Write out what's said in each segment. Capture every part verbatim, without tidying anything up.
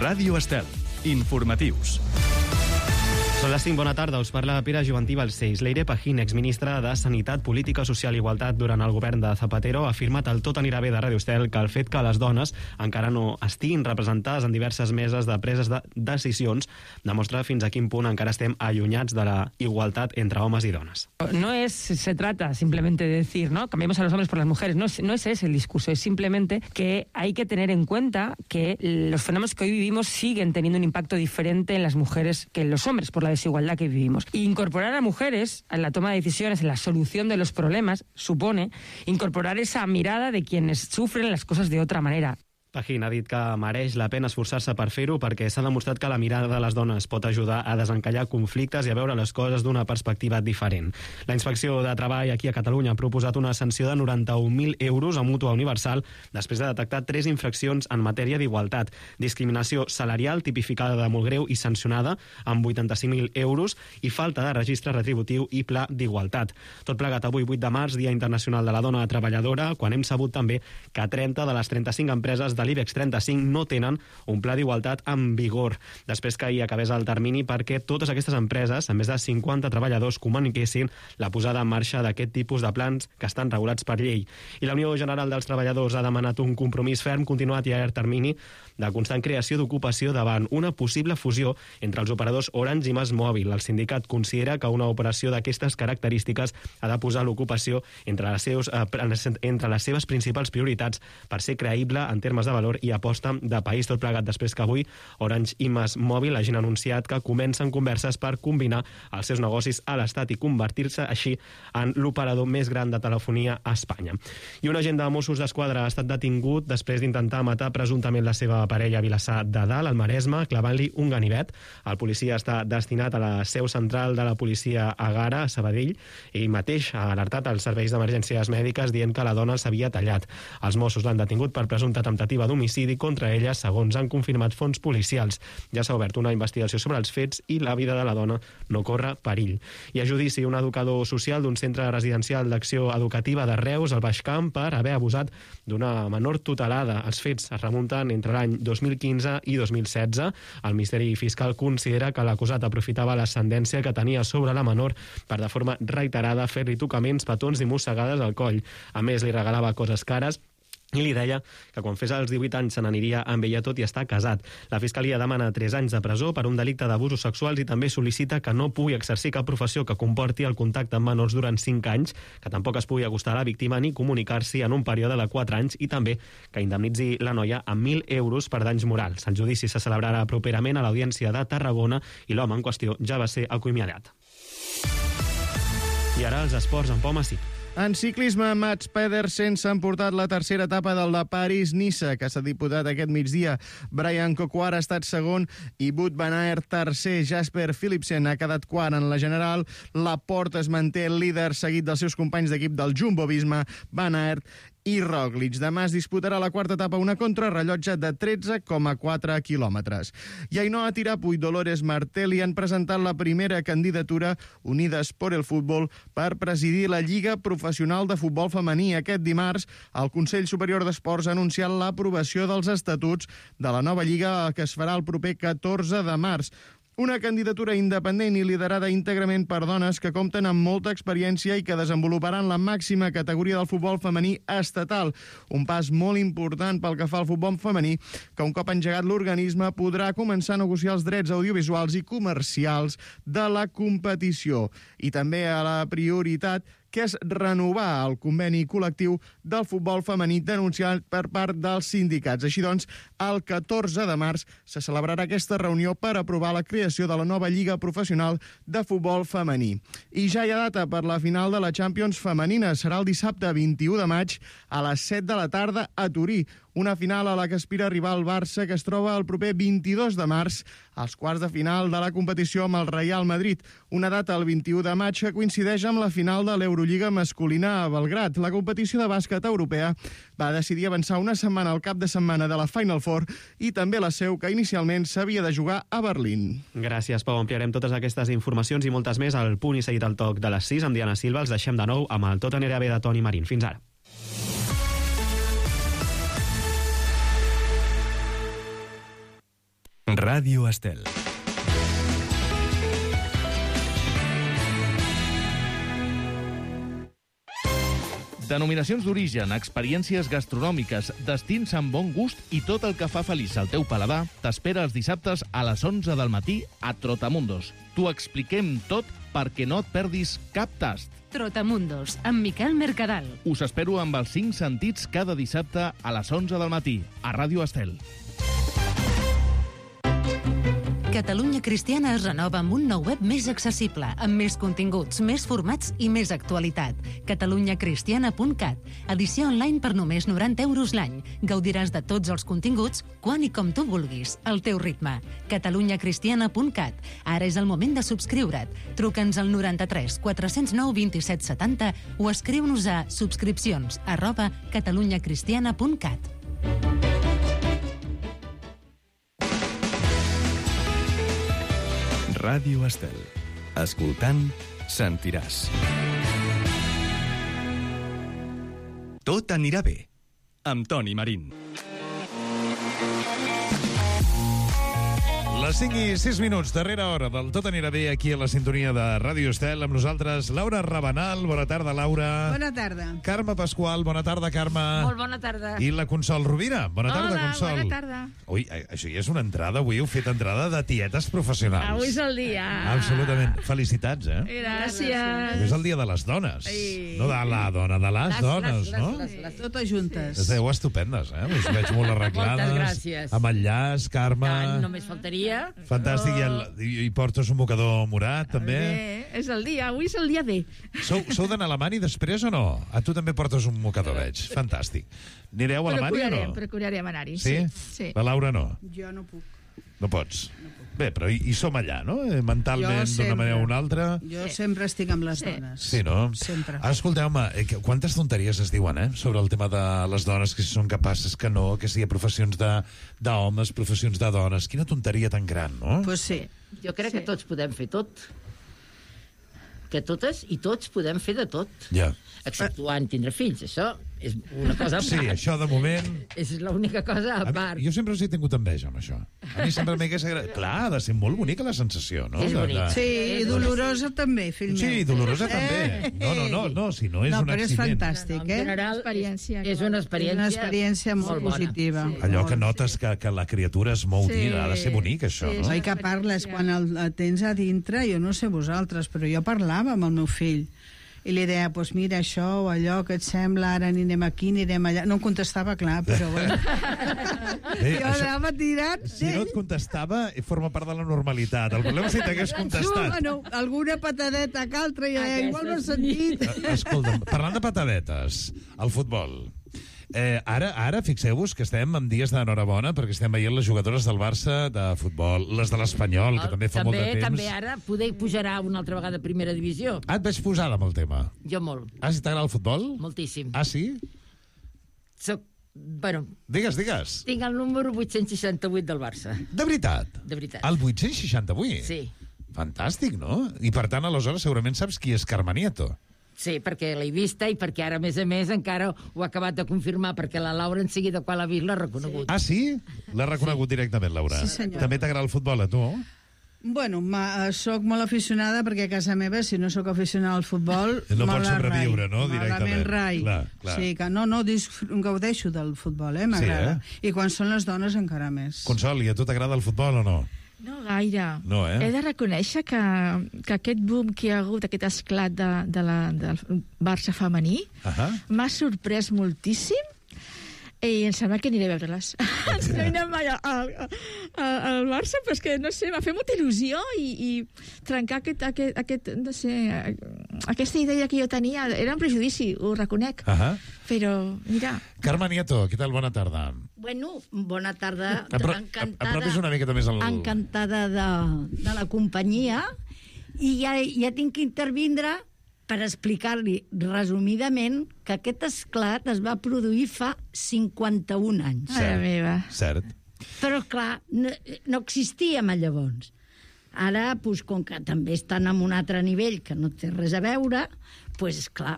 Ràdio Estel. Informatius. Són les cinc, bona tarda, us parla Pere Juvantí Balcells. Leire Pajín, exministra de Sanitat, Política Social i Igualtat durant el govern de Zapatero, ha afirmat al Tot anirà bé de Ràdio Estel que el fet que les dones encara no estiguin representades en diverses meses de preses de decisions demostra fins a quin punt encara estem allunyats de la igualtat entre homes i dones. No es, se trata simplemente de decir, ¿no? Cambiemos a los hombres por las mujeres. No es, no es ese el discurso, es simplemente que hay que tener en cuenta que los fenómenos que hoy vivimos siguen teniendo un impacto diferente en las mujeres que en los hombres, por la desigualdad que vivimos. Y incorporar a mujeres en la toma de decisiones, en la solución de los problemas, supone incorporar esa mirada de quienes sufren las cosas de otra manera. Pajín ha dit que mereix la pena esforçar-se per fer-ho perquè s'ha demostrat que la mirada de les dones pot ajudar a desencallar conflictes i a veure les coses d'una perspectiva diferent. La Inspecció de Treball aquí a Catalunya ha proposat una sanció de noranta-un mil euros a Mútua Universal després de detectar tres infraccions en matèria d'igualtat. Discriminació salarial tipificada de molt greu i sancionada amb vuitanta-cinc mil euros i falta de registre retributiu i pla d'igualtat. Tot plegat avui, vuit de març, Dia Internacional de la Dona Treballadora, quan hem sabut també que trenta de les trenta-cinc empreses de l'IBEX trenta-cinc no tenen un pla d'igualtat en vigor, després que ahir acabés el termini perquè totes aquestes empreses, amb més de cinquanta treballadors, comuniquessin la posada en marxa d'aquest tipus de plans que estan regulats per llei. I la Unió General dels Treballadors ha demanat un compromís ferm, continuat i a llarg termini, de constant creació d'ocupació davant una possible fusió entre els operadors Orange i MásMóvil. El sindicat considera que una operació d'aquestes característiques ha de posar l'ocupació entre les, seus, eh, entre les seves principals prioritats per ser creïble en termes de valor i aposta de país, tot plegat després que avui Orange i MásMóvil hagin anunciat que comencen converses per combinar els seus negocis a l'Estat i convertir-se així en l'operador més gran de telefonia a Espanya. I un agent de Mossos d'Esquadra ha estat detingut després d'intentar matar presumptament la seva parella a Vilassar de Dalt, al Maresme, clavant-li un ganivet. El policia està destinat a la seu central de la policia a Gara, a Sabadell, i mateix ha alertat als serveis d'emergències mèdiques dient que la dona s'havia tallat. Els Mossos l'han detingut per presumpta temptativa d'homicidi contra ella, segons han confirmat fonts policials. Ja s'ha obert una investigació sobre els fets i la vida de la dona no corre perill. I a judici, un educador social d'un centre residencial d'acció educativa de Reus, al Baix Camp, per haver abusat d'una menor tutelada. Els fets es remunten entre l'any dos mil quinze i dos mil setze. El Ministeri Fiscal considera que l'acusat aprofitava l'ascendència que tenia sobre la menor per, de forma reiterada, fer-li tocaments, petons i mossegades al coll. A més, li regalava coses cares i li deia que quan fes els divuit anys se n'aniria amb ella, tot i estar casat. La Fiscalia demana tres anys de presó per un delicte d'abusos sexuals i també sol·licita que no pugui exercir cap professió que comporti el contacte amb menors durant cinc anys, que tampoc es pugui acostar a la víctima ni comunicar-s'hi en un període de quatre anys i també que indemnitzi la noia amb mil euros per danys morals. El judici se celebrarà properament a l'Audiència de Tarragona i l'home en qüestió ja va ser acomiadat. I ara els esports en Pau Massip. En ciclisme, Mats Pedersen s'ha emportat la tercera etapa del de París-Niça, que s'ha disputat aquest migdia. Brian Coquard ha estat segon i Wout van Aert tercer. Jasper Philipsen ha quedat quart en la general. Laporte es manté líder, seguit dels seus companys d'equip del Jumbo-Visma, Van Aert i Roglic. Demà es disputarà la quarta etapa, una contrarrellotge de tretze coma quatre quilòmetres. I Ainhoa Tirapu i Dolores Martelli han presentat la primera candidatura Unides por el Fútbol per presidir la Lliga Professional de Futbol Femení. Aquest dimarts, el Consell Superior d'Esports ha anunciat l'aprovació dels estatuts de la nova Lliga que es farà el proper catorze de març. Una candidatura independent i liderada íntegrament per dones que compten amb molta experiència i que desenvoluparan la màxima categoria del futbol femení estatal. Un pas molt important pel que fa al futbol femení, que un cop engegat l'organisme podrà començar a negociar els drets audiovisuals i comercials de la competició. I també a la prioritat que és renovar el conveni col·lectiu del futbol femení denunciat per part dels sindicats. Així doncs, el catorze de març se celebrarà aquesta reunió per aprovar la creació de la nova Lliga Professional de Futbol Femení. I ja hi ha data per la final de la Champions femenina. Serà el dissabte vint-i-u de maig a les set de la tarda a Turí. Una final a la que aspira a arribar el Barça, que es troba el proper vint-i-dos de març als quarts de final de la competició amb el Real Madrid. Una data el vint-i-u de maig que coincideix amb la final de l'Eurolliga masculina a Belgrad. La competició de bàsquet europea va decidir avançar una setmana al cap de setmana de la Final Four i també la seu, que inicialment s'havia de jugar a Berlín. Gràcies, Pau. Ampliarem totes aquestes informacions i moltes més al punt i seguit al toc de les sis amb Diana Silva. Els deixem de nou amb el Tot anirà bé de Toni Marín. Fins ara. Ràdio Estel. Denominacions d'origen, experiències gastronòmiques, destins amb bon gust i tot el que fa feliç al teu paladar t'espera els dissabtes a les onze del matí a Trotamundos. T'ho expliquem tot perquè no et perdis cap tast. Trotamundos, amb Miquel Mercadal. Us espero amb els cinc sentits cada dissabte a les onze del matí a Ràdio Estel. Catalunya Cristiana es renova amb un nou web més accessible, amb més continguts, més formats i més actualitat. catalunya cristiana punt cat. Edició online per només noranta euros l'any. Gaudiràs de tots els continguts, quan i com tu vulguis, al teu ritme. catalunya cristiana punt cat. Ara és el moment de subscriure't. Truca'ns al noranta-tres quatre zero nou vint-i-set setanta o escriu-nos a subscripcions arroba catalunya cristiana punt cat. Ràdio Estel. Escoltant, sentiràs. Tot anirà bé. Amb Toni Marín. Les cinc i sis minuts, darrera hora del Tot anirà bé aquí a la sintonia de Ràdio Estel. Amb nosaltres, Laura Rabanal. Bona tarda, Laura. Bona tarda. Carme Pasqual. Bona tarda, Carme. Molt bona tarda. I la Consol Rovira. Bona tarda, Hola, Consol. bona tarda. Ui, això ja és una entrada. Avui heu fet entrada de tietes professionals. Avui és el dia. Absolutament. Felicitats, eh? Gràcies. És el dia de les dones. Ai. No de la dona, de les, Les, dones, les, no? les, les, les. Totes juntes. Esteu estupendes, eh? Us veig molt arreglades. Moltes gràcies. Amb el llaç, Carme. Tant, només faltaria. Fantàstic. I, el, i, i portes un mocador morat, també. Bé, és el dia, avui és el dia D. Sou, sou d'anar a Alemany després o no? A tu també portes un mocador, veig. Fantàstic. Anireu a Alemany o Procurarem, no? procurarem anar-hi. Sí? Sí. La Laura no? Jo no puc. No pots? Bé, però hi, hi som allà, no? Eh, Mentalment, Jo d'una sempre. manera o una altra. Jo sempre estic amb les Sí. dones. Sí, no? Sempre. Ah, escolteu-me, eh, que- quantes tonteries es diuen, eh? Sobre el tema de les dones, que si són capaces, que no, que si hi ha professions de- d'homes, professions de dones. Quina tonteria tan gran, no? Pues sí. Jo crec Sí. que tots podem fer tot. Que totes i tots podem fer de tot. Ja. Exceptuant tindre fills. Això és una cosa a Sí, part. això de moment... És l'única cosa a A part. mi, jo sempre us he tingut enveja amb això. A mi sempre m'hagués agradat... Clar, ha de ser molt bonica la sensació, no? És De- bonic. de- Sí, i dolorosa també, fill meu. Sí, dolorosa també. No, no, no, no, si no és no, un però és accident. fantàstic, En eh? general, Experiència, és, és clar. una És experiència, una experiència molt, bona. positiva. Sí. Allò que Molt. notes que, que la criatura es mou Sí. dins, ha de ser bonic, això, Sí, no? Oi que parles quan el, el tens a dintre, jo no sé vosaltres, però jo parlava amb el meu fill i li deia, pues mira, això o allò que et sembla, ara anirem aquí, anirem allà. No em contestava, clar, però bueno. Bé, jo anava tirant. si no et contestava, forma part de la normalitat. El problema és si t'hagués No, contestat. bueno, alguna patadeta que altra, i deia, igual no he sentit. Eh, Escolta'm, parlant de patadetes, el futbol. Eh, ara, ara fixeu-vos que estem en dies d'enhorabona perquè estem veient les jugadores del Barça de futbol, les de l'Espanyol, que també fa també, molt de temps. També ara poder pujarà una altra vegada a primera divisió. Ah, et veig posada amb el tema. Jo molt, Ah, si t'agrada el futbol? moltíssim. Ah, sí? Soc, bueno, Digues, digues. tinc el número vuit-cents seixanta-vuit del Barça. De veritat? De veritat. El vuit-cents seixanta-vuit? Sí. Fantàstic, no? I per tant, aleshores, segurament saps qui és Carme Nieto. Sí, perquè l'he vista i perquè ara, a més a més, encara ho ha acabat de confirmar, perquè la Laura en seguida, quan l'ha vist, l'ha reconegut. Ah, sí? L'ha reconegut sí. directament, Laura. Sí, senyor. També t'agrada el futbol, a tu? Bueno, ma, soc molt aficionada perquè a casa meva, si no sóc aficionada al futbol... No me pots la sobreviure, rai. no? Me la Directament. ben rai. Clar, clar. Sí, que no, no, disf- gaudeixo del futbol, eh? M'agrada. Sí, I quan són les dones encara més. Consol, i a tu t'agrada el futbol o no? No gaire. No, eh? He de reconèixer que, que aquest boom que hi ha hagut, aquest esclat de, de la, del Barça femení, Ahà. m'ha sorprès moltíssim i em sembla que aniré a veure-les. No he anat mai al, al, al Barça, però és que, no sé, m'ha fet molta il·lusió i, i trencar aquest, aquest, aquest, no sé, aquesta idea que jo tenia. Era un prejudici, ho reconec. Ahà. Però, mira... Carme Nieto, què tal? Bona tarda. Bueno, bona tarda. Apro Encantada, apropis una miqueta més al... encantada de, de la companyia i ja, ja tinc que intervindre per explicar-li resumidament que aquest esclat es va produir fa cinquanta-un anys. Mare meva. Cert. Però, clar, no, no existíem a llavors. Ara, doncs, com que també estan en un altre nivell que no té res a veure, doncs, clar,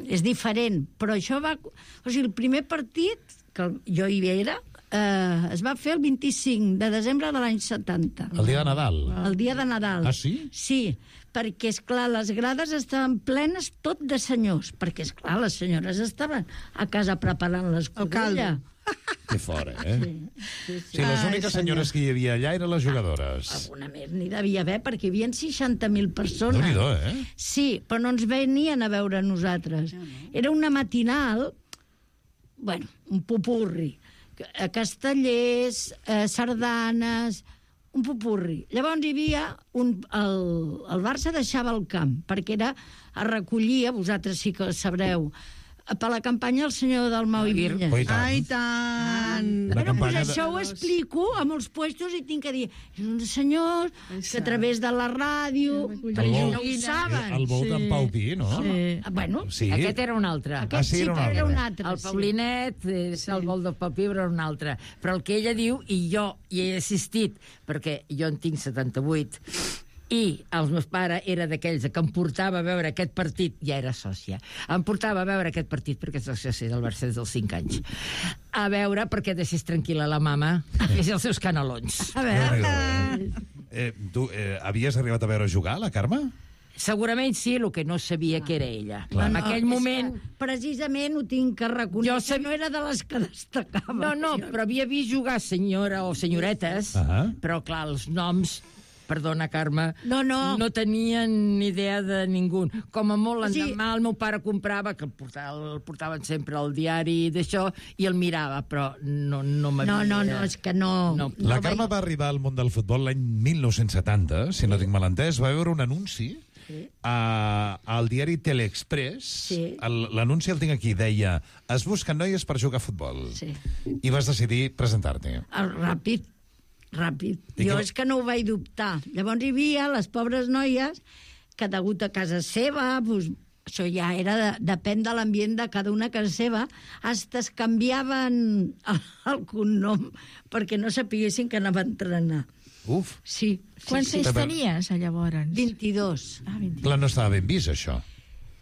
és diferent. Però això va... O sigui, el primer partit, que jo hi era, eh, es va fer el vint-i-cinc de desembre de l'any setanta. El dia de Nadal. El dia de Nadal. Ah, sí? Sí, perquè, esclar, les grades estaven plenes tot de senyors, perquè, esclar, les senyores estaven a casa preparant l'escudella. Que fora, eh? Sí, sí, sí. Sí, les úniques senyores que hi havia allà eren les jugadores. Alguna més n'hi devia haver, perquè hi havia seixanta mil persones. Déu-n'hi-do, eh? Sí, però no ens venien a veure a nosaltres. Era una matinal, bueno, un popurri. Castellers, eh, sardanes, un popurri. Llavors hi havia un, el, el Barça deixava el camp, perquè era a recollir, vosaltres sí que sabreu, per la campanya el senyor Dalmau i Vinya. Oh, i tant. Ai, tant! La Bueno, pues campanya de- això ho explico a molts puestos i tinc que dir, és un senyor que a través de la ràdio, perquè vol- no ho saben. El vol d'en Pau Pi, no? Sí. Bueno, Sí. Aquest era un altre. aquest Ah, sí, sí, era un que era un altre. altre. El Paulinet, eh, el gol del Papi, era un altre. Però el que ella diu, i jo hi he assistit, perquè jo en tinc setanta-vuit, i el meu pare era d'aquells que em portava a veure aquest partit, ja era sòcia, em portava a veure aquest partit, perquè soc sòcia del Barça des dels cinc anys, a veure perquè deixés tranquil·la la mama a fer els seus canelons. A veure... Eh, tu eh, havies arribat a veure jugar, la Carme? Segurament sí, el que no sabia que era ella. Clar. En No, aquell és moment... que precisament ho tinc que reconèixer. Jo sab- no era de les que destacava. No, no, però havia vist jugar senyora o senyoretes, Ah. però clar, els noms... Perdona, Carme. No, no. No tenien ni idea de ningú. Com a molt, O sigui- l'endemà el meu pare comprava, que el, portava, el portaven sempre al diari d'això, i el mirava, però no, no m'havia... No, no, no, és que no... No. La no Carme va arribar al món del futbol l'any mil nou-cents setanta, si no tinc mal entès. Va veure un anunci a, al diari Teleexpress. Sí. El- L'anunci el tinc aquí, deia es busquen noies per jugar a futbol. Sí. I vas decidir presentar-te. El ràpid, ràpid. I Jo que- és que no ho vaig dubtar. Llavors hi havia les pobres noies que degut a casa seva, doncs, això ja era, de, depèn de l'ambient de cada una a casa seva, hasta es canviaven el, el cognom perquè no sapiguessin que anava a entrenar. Uf, Sí. sí Quants sí. anys tenies, llavors? vint-i-dos. Ah, vint. clar, no estava ben vist, això.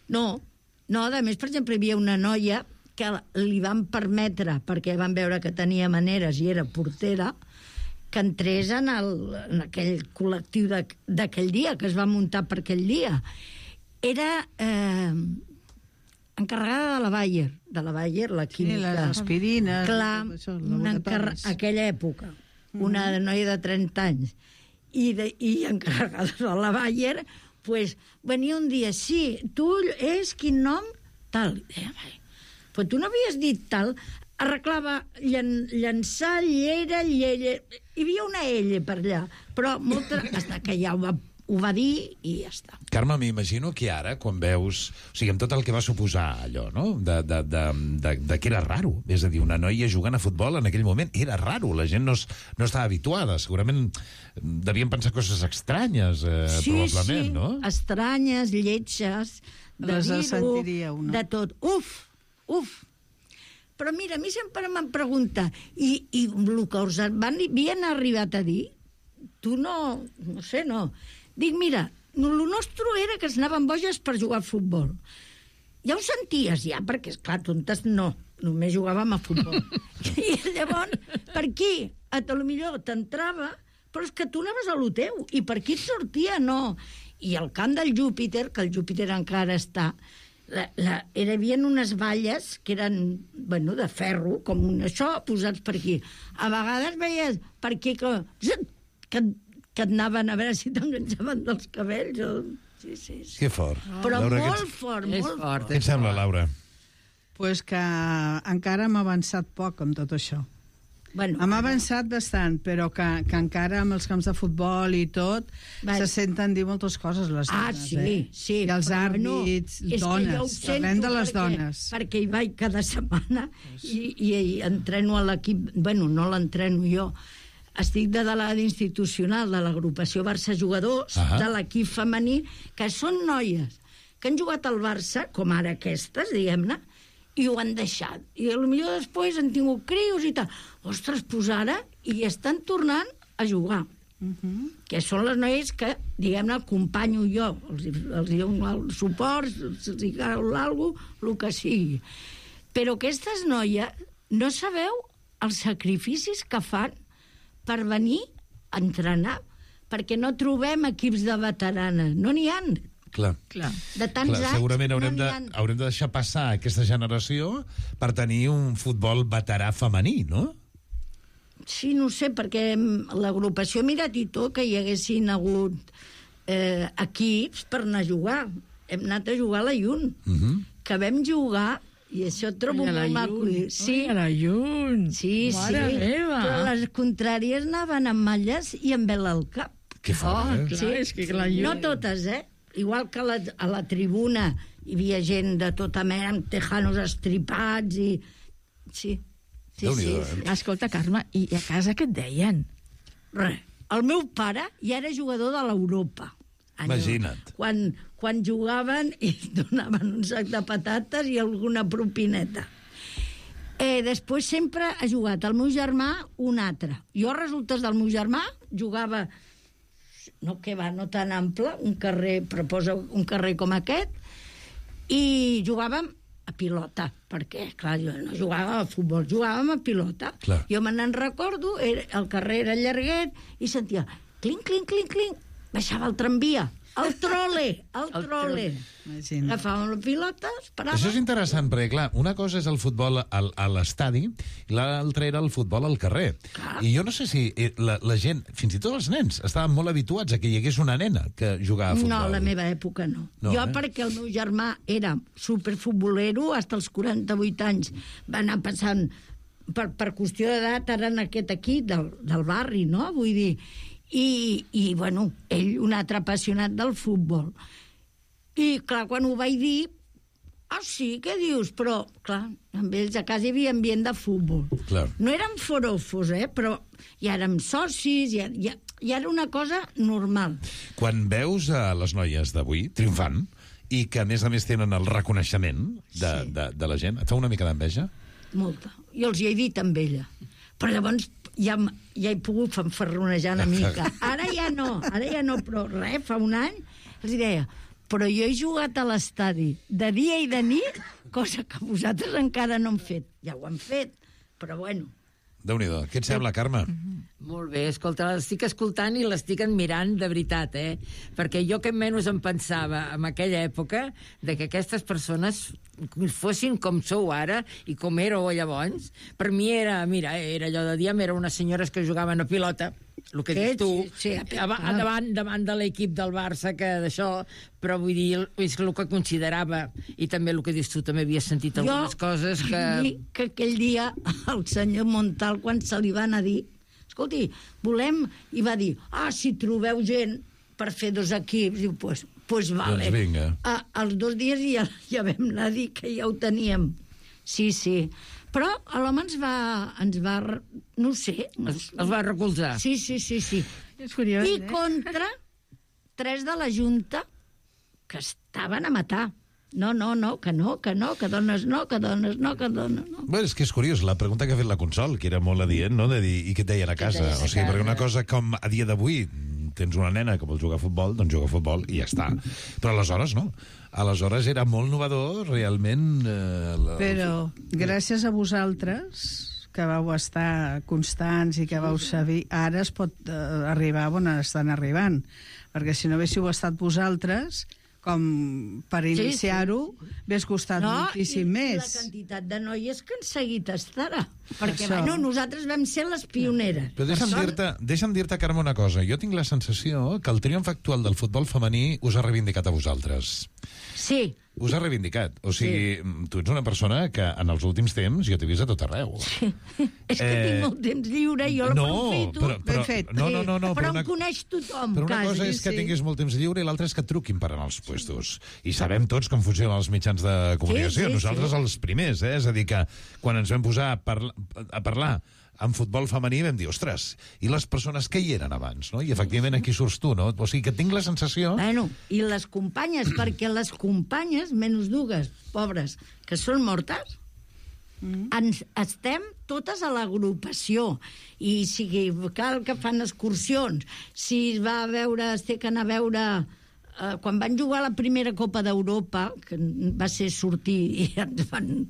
No, no, a més, per exemple, hi havia una noia que li van permetre, perquè van veure que tenia maneres i era portera, que entrés en, el, en aquell col·lectiu de- d'aquell dia, que es va muntar per aquell dia. Era eh, encarregada de la Bayer, de la Bayer, la Sí, química. les aspirines... Clar, tot això, una encarre... laboratoris. aquella època, una noia de trenta anys, i, de, i encarregada de la Bayer, pues, venia un dia, sí, tu és quin nom? Tal. I deia, vai, però tu no havies dit tal? Arreglava llen, llançar, llera, llera... Hi havia una ella per allà, però molta... Hasta que ja ho va, ho va dir i ja està. Carme, m'imagino que ara, quan veus... O sigui, amb tot el que va suposar allò, no?, de, de, de, de, de que era raro. És a dir, una noia jugant a futbol en aquell moment era raro. La gent no, es, no estava habituada. Segurament devien pensar coses estranyes, eh, Sí, probablement, sí, no? estranyes, lletges, de Les dir-ho, sentiria una. de tot. Uf, uf. Però mira, a mi sempre me'n pregunta, i, i el que us van, havien arribat a dir, tu no, no sé, no. Dic, mira, el nostre era que es anaven boges per jugar a futbol. Ja ho senties, ja, perquè, esclar, tontes no, només jugàvem a futbol. I llavors, per aquí, a tot millor t'entrava, però és que tu anaves a lo teu, i per aquí et sortia, no. I el camp del Júpiter, que el Júpiter encara està, la, la, hi havia unes valles que eren, bueno, de ferro, com un això, posats per aquí. A vegades veies per aquí que, que, que et anaven a veure si t'enganxaven dels cabells. O... Sí, sí, sí. Que fort. Però Laura, molt què et- fort, És molt fort. fort. Què et sembla, Laura? Pues que encara hem avançat poc amb tot això. Bueno, Hem avançat bastant, però que, que encara amb els camps de futbol i tot Va. se senten dir moltes coses les Ah, dones, sí, eh? sí. I els però àrbits, és que dones, jo ho sento parlem de les perquè, dones. Perquè hi vaig cada setmana i, i, i entreno a l'equip, bueno, no l'entreno jo, estic de delegada institucional de l'agrupació Barça Jugadors, Ah. de l'equip femení, que són noies que han jugat al Barça, com ara aquestes, diguem-ne, i ho han deixat. I potser després han tingut crios i tal. Ostres, pues ara, i estan tornant a jugar. Uh -huh. Que són les noies que, diguem-ne, acompanyo jo. Els, els dono el suport, els hi cal alguna cosa, el que sigui. Però aquestes noies, no sabeu els sacrificis que fan per venir a entrenar, perquè no trobem equips de veteranes, no n'hi ha. Clar. Clar. De tants Clar, anys segurament haurem, no de, n'hi ha. haurem de deixar passar aquesta generació per tenir un futbol veterà femení, no? Sí, no sé, perquè l'agrupació Mirat i tot, que hi haguessin hagut eh, equips per anar a jugar. Hem anat a jugar a la Llun, Uh -huh. que vam jugar, i això trobo Ai, a la molt maco. Llun. Sí. Ai, a la Llun. Sí, Mare sí. meva. Però les contràries anaven amb malles i amb vela al cap. Que fort, eh? Clar, és que la Llun... No totes, eh? Igual que a la, a la tribuna hi havia gent de tota mena amb tejanos estripats i... Sí, sí, sí. Déu-n'hi-do, sí. eh? Escolta, Carme, i a casa què et deien? Res. El meu pare ja era jugador de l'Europa. Allò, Imagina't. Quan, quan jugaven i donaven un sac de patates i alguna propineta. Eh, després sempre ha jugat el meu germà un altre. Jo, a resultes del meu germà, jugava, no que va, no tan ample, un carrer, proposa un carrer com aquest, i jugàvem a pilota, perquè, clar, jo no jugava a futbol, jugàvem a pilota. Clar. Jo me n'en recordo, era, el carrer era llarguet, i sentia clinc, clinc, clinc, clinc, baixava el tramvia, el trole, el, el trole. Imagina. Agafàvem les pilotes, paràvem... Això és interessant, perquè, clar, una cosa és el futbol al, a l'estadi i l'altra era el futbol al carrer. Clar. I jo no sé si eh, la, la gent, fins i tot els nens, estaven molt habituats a que hi hagués una nena que jugava a futbol. No, a la meva època no. No, jo, eh? perquè el meu germà era superfutbolero, fins als quaranta-vuit anys va anar passant, per, per qüestió d'edat, ara en aquest equip del, del barri, no? Vull dir... I, i, bueno, ell un altre apassionat del futbol. I, clar, quan ho vaig dir, ah, sí, què dius? Però, clar, amb ells a casa hi havia ambient de futbol. Clar. No érem forofos, eh? Però ja érem socis, ja, ja, ja era una cosa normal. Quan veus a les noies d'avui triomfant i que, a més a més, tenen el reconeixement de, Sí. de, de la gent, et fa una mica d'enveja? Molta. Jo els hi he dit amb ella. Però llavors ja, m- ja he pogut fanfarronejar una mica. Ara ja no, ara ja no, però res, fa un any els hi deia, però jo he jugat a l'estadi de dia i de nit, cosa que vosaltres encara no han fet. Ja ho han fet, però bueno. Déu-n'hi-do. Què et sembla, Carme? Molt bé, escolta, l'estic escoltant i l'estic admirant de veritat, eh? Perquè jo que menys em pensava en aquella època de que aquestes persones fossin com sou ara i com éreu llavors. Per mi era, mira, era allò de diem, eren unes senyores que jugaven a pilota, el que Sí, dius tu, sí, sí, a- a- davant, davant de l'equip del Barça, que d'això, però vull dir, és el que considerava, i també el que dius tu, també havia sentit algunes coses que... dir que aquell dia el senyor Montal, quan se li van a dir, escolti, volem... I va dir, ah, si trobeu gent per fer dos equips, diu, pues, pues vale. Doncs vinga. A, als dos dies ja, ja vam anar a dir que ja ho teníem. Sí, sí. Però l'home ens va, ens va... No ho sé. Els, els va recolzar. Sí, sí, sí, sí. És curiós, I eh? contra tres de la Junta que estaven a matar. No, no, no, que no, que no, que dones no, que dones no, que dones no. Bé, és que és curiós, la pregunta que ha fet la Consol, que era molt adient, no?, de dir, i què et deien a casa? deien a O sigui, casa? perquè una cosa com a dia d'avui tens una nena que vol jugar a futbol, doncs juga a futbol i ja està. Però aleshores no. Aleshores era molt innovador, realment... Eh, la... Però gràcies a vosaltres, que vau estar constants i que vau saber, ara es pot eh, arribar on estan arribant. Perquè si no haguéssiu estat vosaltres, com per Sí, iniciar-ho, hagués costat moltíssim i, més. I la quantitat de noies que han seguit estarà. Perquè, Això. bueno, nosaltres vam ser les pioneres. Però deixa'm Per dir-te, deixa'm dir-te, Carme, una cosa. Jo tinc la sensació que el triomf actual del futbol femení us ha reivindicat a vosaltres. Sí. Us ha reivindicat. O sigui, sí. Tu ets una persona que en els últims temps jo t'he vist a tot arreu. Sí. És que Eh, tinc molt temps lliure i jo no, l'aprofito. però- però- Ben fet. no, no, no, no, però però una- em coneix tothom. Però una quasi. cosa és que tinguis molt temps lliure i l'altra és que et truquin per anar als puestos. I sabem tots com funcionen els mitjans de comunicació. Sí, sí, Nosaltres sí. els primers, eh? És a dir, que quan ens vam posar a, parla a parlar en futbol femení vam dir, ostres, i les persones que hi eren abans, no? I efectivament aquí surts tu, no? O sigui que tinc la sensació... Bueno, i les companyes, perquè les companyes, menys dues, pobres, que són mortes, mm. ens estem totes a l'agrupació. I si cal que fan excursions, si es va a veure, es té que anar a veure... Eh, quan van jugar la primera Copa d'Europa, que va ser sortir i ens van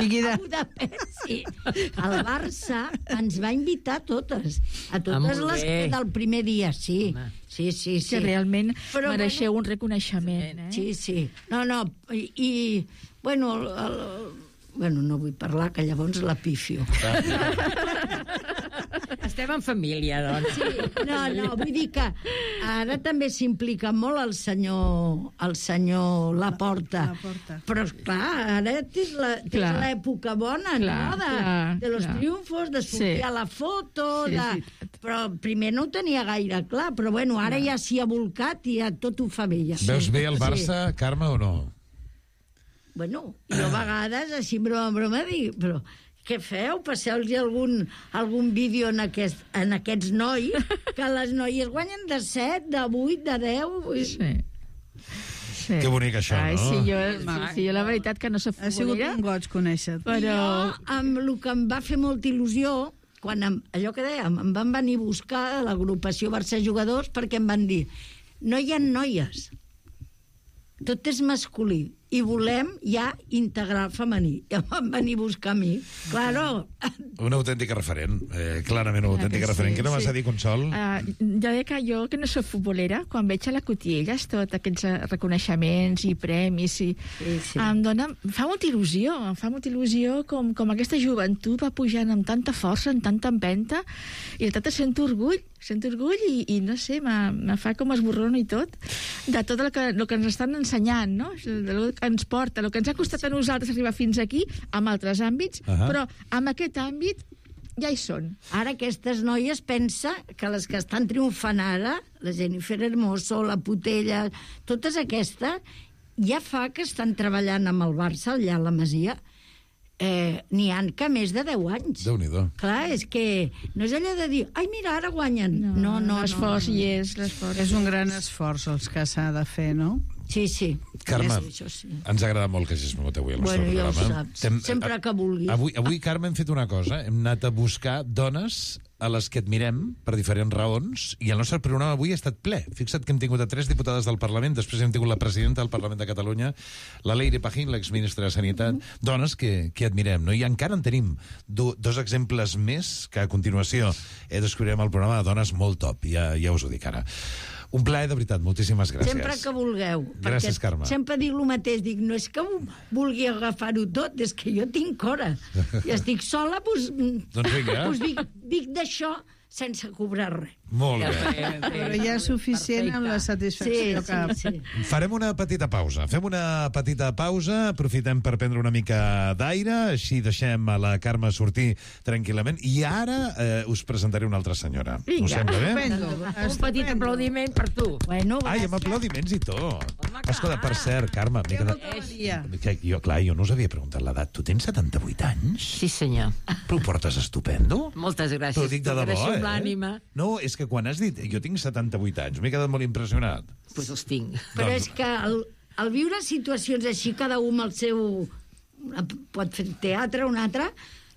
Líquida. A Budapest, sí. El Barça ens va invitar a totes, a Ah, totes molt les bé. del primer dia, sí. Home. Sí, sí, sí. Que realment Però, mereixeu un reconeixement. Eh? Sí, sí. No, no, i, i bueno, el, el, bueno, no vull parlar, que llavors la pifio. Estem en família, doncs. Sí, no, no, vull dir que ara també s'implica molt el senyor, el senyor Laporta. Laporta. Però, clar, ara tens la- tens Clar. l'època bona, Clar, no? De, clar, de los clar. triomfos, de sortir Sí. a la foto... Sí, és de... veritat. Però primer no ho tenia gaire clar, però bueno, ara ja s'hi ha volcat i ja tot ho fa bé. Ja. Veus bé el Sí. Barça, Carme, o no? Bueno, jo a vegades, així en broma, en broma, dic, però què feu? Passeu-los algun, algun vídeo en, aquest, en aquests nois, que les noies guanyen de set, de vuit, de deu... Vull... Sí. Sí. Que bonic, això, Ai, no? Sí, jo, sí, sí, jo la veritat que no soc Ha sigut futbolera, un goig conèixer-te. però... Jo, amb el que em va fer molta il·lusió, quan em, allò que dèiem, em van venir a buscar a l'agrupació Barça Jugadors perquè em van dir, no hi ha noies, tot és masculí, i volem ja integrar el femení. I em van venir a buscar a mi. Claro. Una autèntica referent, eh, clarament una autèntica que sí, referent. Què no vas sí. a dir, Consol? Uh, jo dic que jo, que no soc futbolera, quan veig a la Cotilles tots aquests eh, reconeixements i premis, i, Sí, sí. em dona, em fa molta il·lusió, em fa molta il·lusió com, com aquesta joventut va pujant amb tanta força, amb tanta empenta, i de tot sento orgull, sento orgull i, i no sé, me, me fa com esborrono i tot, de tot el que, el que ens estan ensenyant, no? El que ens porta, el que ens ha costat a nosaltres arribar fins aquí, en altres àmbits, Ahà. però en aquest àmbit ja hi són. Ara aquestes noies pensa que les que estan triomfant ara, la Jennifer Hermoso, la Putella, totes aquestes, ja fa que estan treballant amb el Barça allà a la Masia. Eh, N'hi han que més de deu anys. Déu-n'hi-do. Clar, és que no és allò de dir, ai, mira, ara guanyen. No, no, no. L'esforç no, no. hi és, l'esforç. És un gran esforç els que s'ha de fer, no? Sí, sí. Carme, Sí, això sí. ens ha agradat molt que hagis vingut avui al nostre Bueno, ja ho programa. saps. T'hem- Sempre que vulguis. Avui, avui, Carme, hem fet una cosa. Hem anat a buscar dones a les que admirem per diferents raons, i el nostre programa avui ha estat ple. Fixa't que hem tingut a tres diputades del Parlament, després hem tingut la presidenta del Parlament de Catalunya, la Leire Pajín, l'exministra de Sanitat, dones que, que admirem, no? I encara en tenim do, dos exemples més que a continuació eh, descobrirem al programa de dones molt top, ja, ja us ho dic ara. Un plaer, de veritat, moltíssimes gràcies. Sempre que vulgueu. Gràcies, perquè Carme. sempre dic el mateix, dic, no és que vulgui agafar-ho tot, és que jo tinc hora. I estic sola, doncs, Doncs vinga. doncs dic, dic d'això sense cobrar res. Molt bé. Però ja és suficient amb la satisfacció Sí, que... sí, sí. Farem una petita pausa. Fem una petita pausa, aprofitem per prendre una mica d'aire, així deixem a la Carme sortir tranquil·lament, i ara eh, us presentaré una altra senyora. Vinga. Us sembla bé? Estupendo. Un petit aplaudiment per tu. Bueno, Ai, amb aplaudiments i tot. Escolta, per cert, Carme, m'he quedat... Dia. Que jo, clar, jo no us havia preguntat l'edat. Tu tens setanta-vuit anys? Sí, senyor. Però ho portes estupendo? Moltes gràcies. T'ho dic de debò, T'agraeixo amb eh? l'ànima. No, és que quan has dit... Jo tinc setanta-vuit anys, m'he quedat molt impressionat. Doncs pues els tinc. Però Doncs- és que el, el viure situacions així, cada un amb el seu... Pot fer teatre, un altre...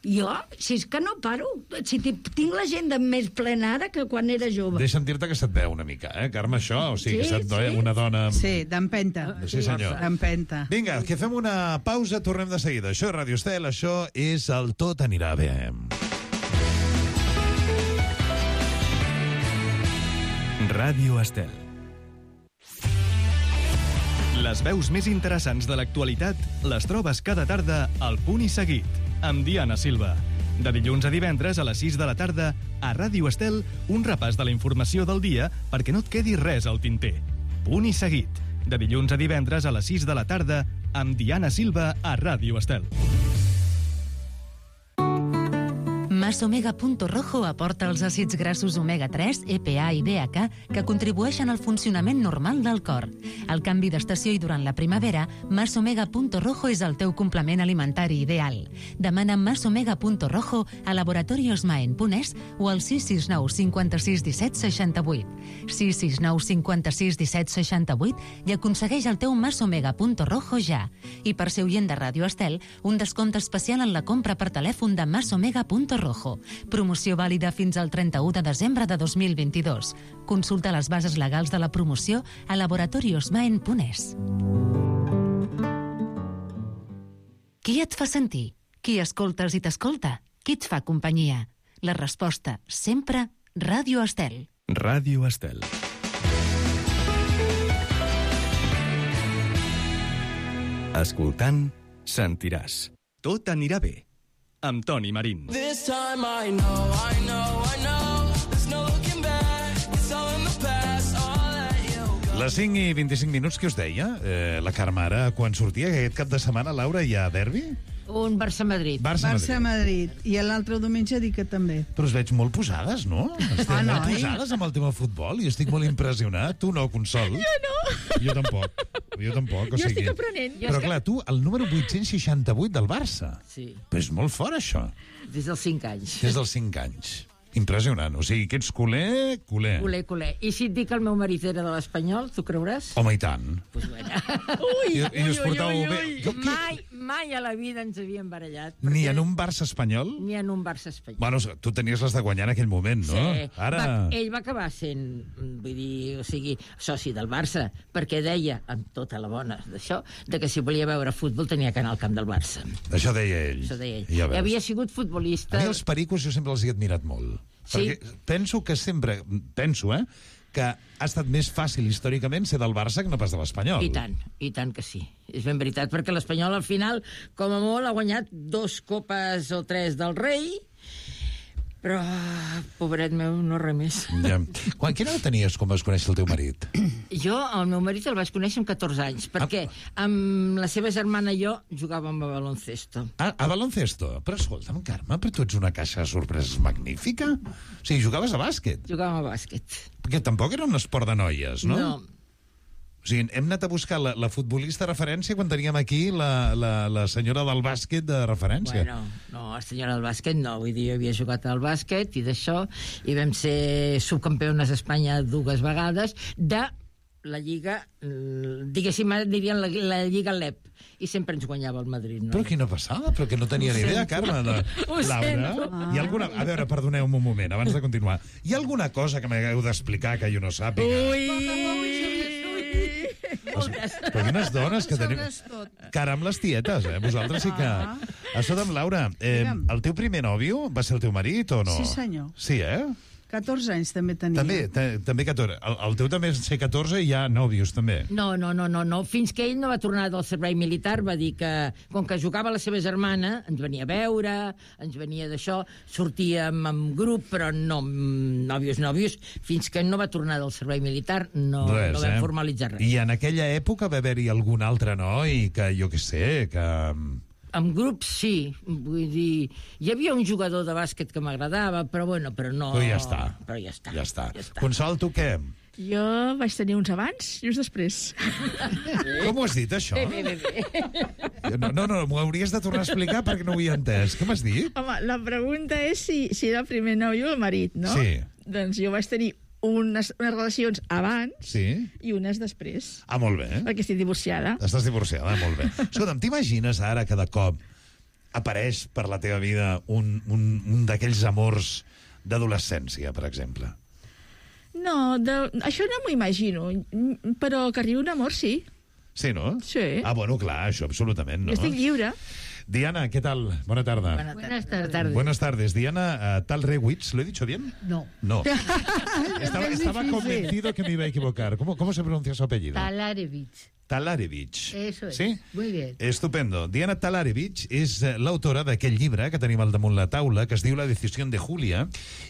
Jo, si és que no paro. Si tinc l'agenda més plena ara que quan era jove. Deixa'm dir-te que se't veu una mica, eh, Carme, això? O sigui, que Sí, se't veu sí. una dona... amb- Sí, d'empenta. Sí, senyor. D'empenta. Vinga, que fem una pausa, tornem de seguida. Això és Ràdio Estel, això és el Tot anirà bé. Ràdio Estel. Les veus més interessants de l'actualitat les trobes cada tarda al Punt i Seguit, amb Diana Silva. De dilluns a divendres a les sis de la tarda, a Ràdio Estel, un repàs de la informació del dia perquè no et quedi res al tinter. Punt i Seguit, de dilluns a divendres a les sis de la tarda, amb Diana Silva a Ràdio Estel. Masomega.rojo aporta els àcids grassos omega tres, E P A i D H A que contribueixen al funcionament normal del cor. Al canvi d'estació i durant la primavera, Masomega.rojo és el teu complement alimentari ideal. Demana Masomega.rojo a laboratoriosmaen.es o al sis sis nou cinquanta-sis disset seixanta-vuit. sis sis nou cinquanta-sis disset seixanta-vuit i aconsegueix el teu Masomega.rojo ja. I per ser oient de Ràdio Estel, un descompte especial en la compra per telèfon de Masomega.rojo. Promoció vàlida fins al trenta-u de desembre de dos mil vint-i-dos. Consulta les bases legals de la promoció a laboratoriosmaen.es. Qui et fa sentir? Qui escoltes i t'escolta? Qui et fa companyia? La resposta, sempre, Ràdio Estel. Ràdio Estel. Escoltant, sentiràs. Tot anirà bé. Amb Toni Marín. This time I know, I know, I know. There's no looking back. It's all in the past. I'll let you go. Les cinc i vint-i-cinc minuts que us deia, eh, la Carme ara, quan sortia aquest cap de setmana, Laura, hi ha derbi? Un Barça-Madrid. Barça-Madrid. I l'altre diumenge dic que també. Però us veig molt posades, no? Esteu Ah, molt noi. posades amb el tema futbol i estic molt impressionat. Tu no, Consol? Jo no. Jo tampoc. Jo tampoc, o Jo sigui... estic aprenent. Però clar, tu, el número vuit-cents seixanta-vuit del Barça. Sí. Però és molt fort, això. Des dels cinc anys. Des dels cinc anys. Impressionant. O sigui, que ets culer, culer. Culer, culer. I si et dic que el meu marit era de l'Espanyol, tu creuràs? Home, i tant. Pues bueno. Ui, I, i us portau ui, ui, bé. ui. Jo què? Mai, mai a la vida ens havíem barallat. Ni perquè- en un Barça espanyol? Ni en un Barça espanyol. Bueno, tu tenies les de guanyar en aquell moment, no? Sí. Ara... Va, ell va acabar sent, vull dir, o sigui, soci del Barça, perquè deia, amb tota la bona d'això, de que si volia veure futbol tenia que anar al camp del Barça. Això deia ell. Això deia ell. Ja veus. Havia sigut A futbolista... mi els pericos jo sempre els he admirat molt. Sí. Perquè penso que sempre... Penso, eh? Que ha estat més fàcil històricament ser del Barça que no pas de l'Espanyol. I tant, i tant que sí. És ben veritat, perquè l'Espanyol al final, com a molt, ha guanyat dos copes o tres del rei, però, pobret meu, no res més. Ja. Quan, quina edat tenies quan vas conèixer el teu marit? Jo, el meu marit el vaig conèixer amb catorze anys, perquè amb la seva germana i jo jugàvem a baloncesto. Ah, a baloncesto? Però escolta'm, Carme, però tu ets una caixa de sorpreses magnífica. O sigui, jugaves a bàsquet. Jugàvem a bàsquet. Perquè tampoc era un esport de noies, no? No. O sigui, hem anat a buscar la, la futbolista de referència quan teníem aquí la, la, la senyora del bàsquet de referència. Bueno, no, la senyora del bàsquet no, vull dir, jo havia jugat al bàsquet i d'això, i vam ser subcampiones d'Espanya dues vegades de la Lliga, eh, diguéssim, dirien la, la Lliga L E P, i sempre ens guanyava el Madrid. No? Però quina passada, però que no tenia Ho ni idea, sento. Carme. De... Ho Laura, sento. hi ha alguna... A veure, perdoneu-me un moment, abans de continuar. Hi ha alguna cosa que m'hagueu d'explicar que jo no sàpiga? Ui! Però quines dones que tenim... Cara amb les tietes, eh? Vosaltres sí que... Escolta'm, Laura, eh, Digue'm. el teu primer nòvio va ser el teu marit o no? Sí, senyor. Sí, eh? catorze anys també tenia. També, te- també catorze. El, el teu també és ser catorze i hi ha nòvios, també. No, no, no, no, no. Fins que ell no va tornar del servei militar, va dir que, com que jugava la seva germana, ens venia a veure, ens venia d'això, sortíem en grup, però no mm, nòvios, nòvios, fins que no va tornar del servei militar, no, Res, no vam eh? formalitzar res. I en aquella època va haver-hi algun altre noi que, jo què sé, que... En grups, sí. Vull dir, hi havia un jugador de bàsquet que m'agradava, però bueno, però no... Però ja està. Però ja està. Ja està. Ja està. Consol, tu què? Jo vaig tenir uns abans i uns després. Com ho has dit, això? Bé, bé, bé, bé. No, no, no m'ho hauries de tornar a explicar perquè no ho havia entès. Què m'has dit? Home, la pregunta és si, si era el primer nòvio o el marit, no? Sí. Doncs jo vaig tenir unes, unes relacions abans Sí? i unes després, Ah, molt bé. perquè estic divorciada. Estàs divorciada, molt bé. Escolta'm, t'imagines ara que de cop apareix per la teva vida un, un, un d'aquells amors d'adolescència, per exemple? No, de, això no m'ho imagino, però que arribi un amor, sí. Sí, no? Sí. Ah, bueno, clar, això absolutament, no? Jo estic lliure. Diana, ¿qué tal? Buena tarde. Buenas tardes. Buenas tardes. Diana uh, Talrewitz, ¿lo he dicho bien? No. No. estaba, estaba convencido que me iba a equivocar. ¿Cómo, cómo se pronuncia su apellido? Talarevich. Talarevich. Eso es. Sí? Muy bien. Estupendo. Diana Talarevich és eh, l'autora d'aquell llibre que tenim al damunt la taula, que es diu La decisión de Julia,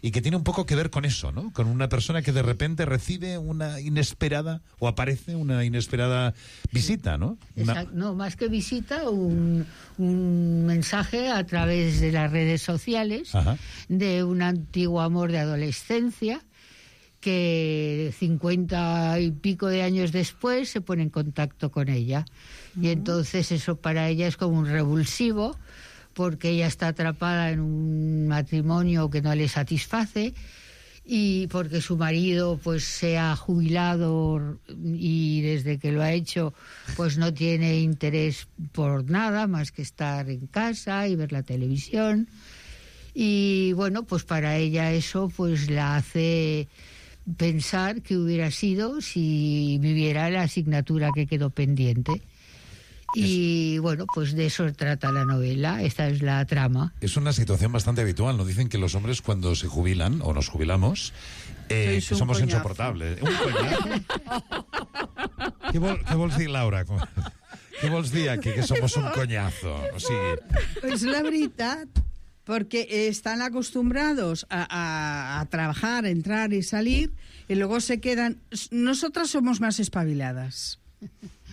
y que tiene un poco que ver con eso, ¿no? Con una persona que de repente recibe una inesperada, o aparece una inesperada visita, ¿no? Una... Exacto. No, más que visita, un, un mensaje a través de las redes sociales Ajá. de un antiguo amor de adolescencia que cincuenta y pico de años después se pone en contacto con ella. Y entonces eso para ella es como un revulsivo, porque ella está atrapada en un matrimonio que no le satisface y porque su marido pues se ha jubilado y desde que lo ha hecho pues no tiene interés por nada más que estar en casa y ver la televisión. Y bueno, pues para ella eso pues la hace pensar que hubiera sido si viviera la asignatura que quedó pendiente. Y bueno, pues de eso trata la novela, esta es la trama. Es una situación bastante habitual, ¿no? Dicen que los hombres cuando se jubilan, o nos jubilamos, eh, que somos coñazo. insoportables. Un coñazo. què, vol, què vols dir, Laura? Què vols dir aquí, que somos un coñazo? O sigui... Pues la veritat, porque están acostumbrados a, a, a trabajar, a entrar y salir, y luego se quedan... Nosotras somos más espabiladas.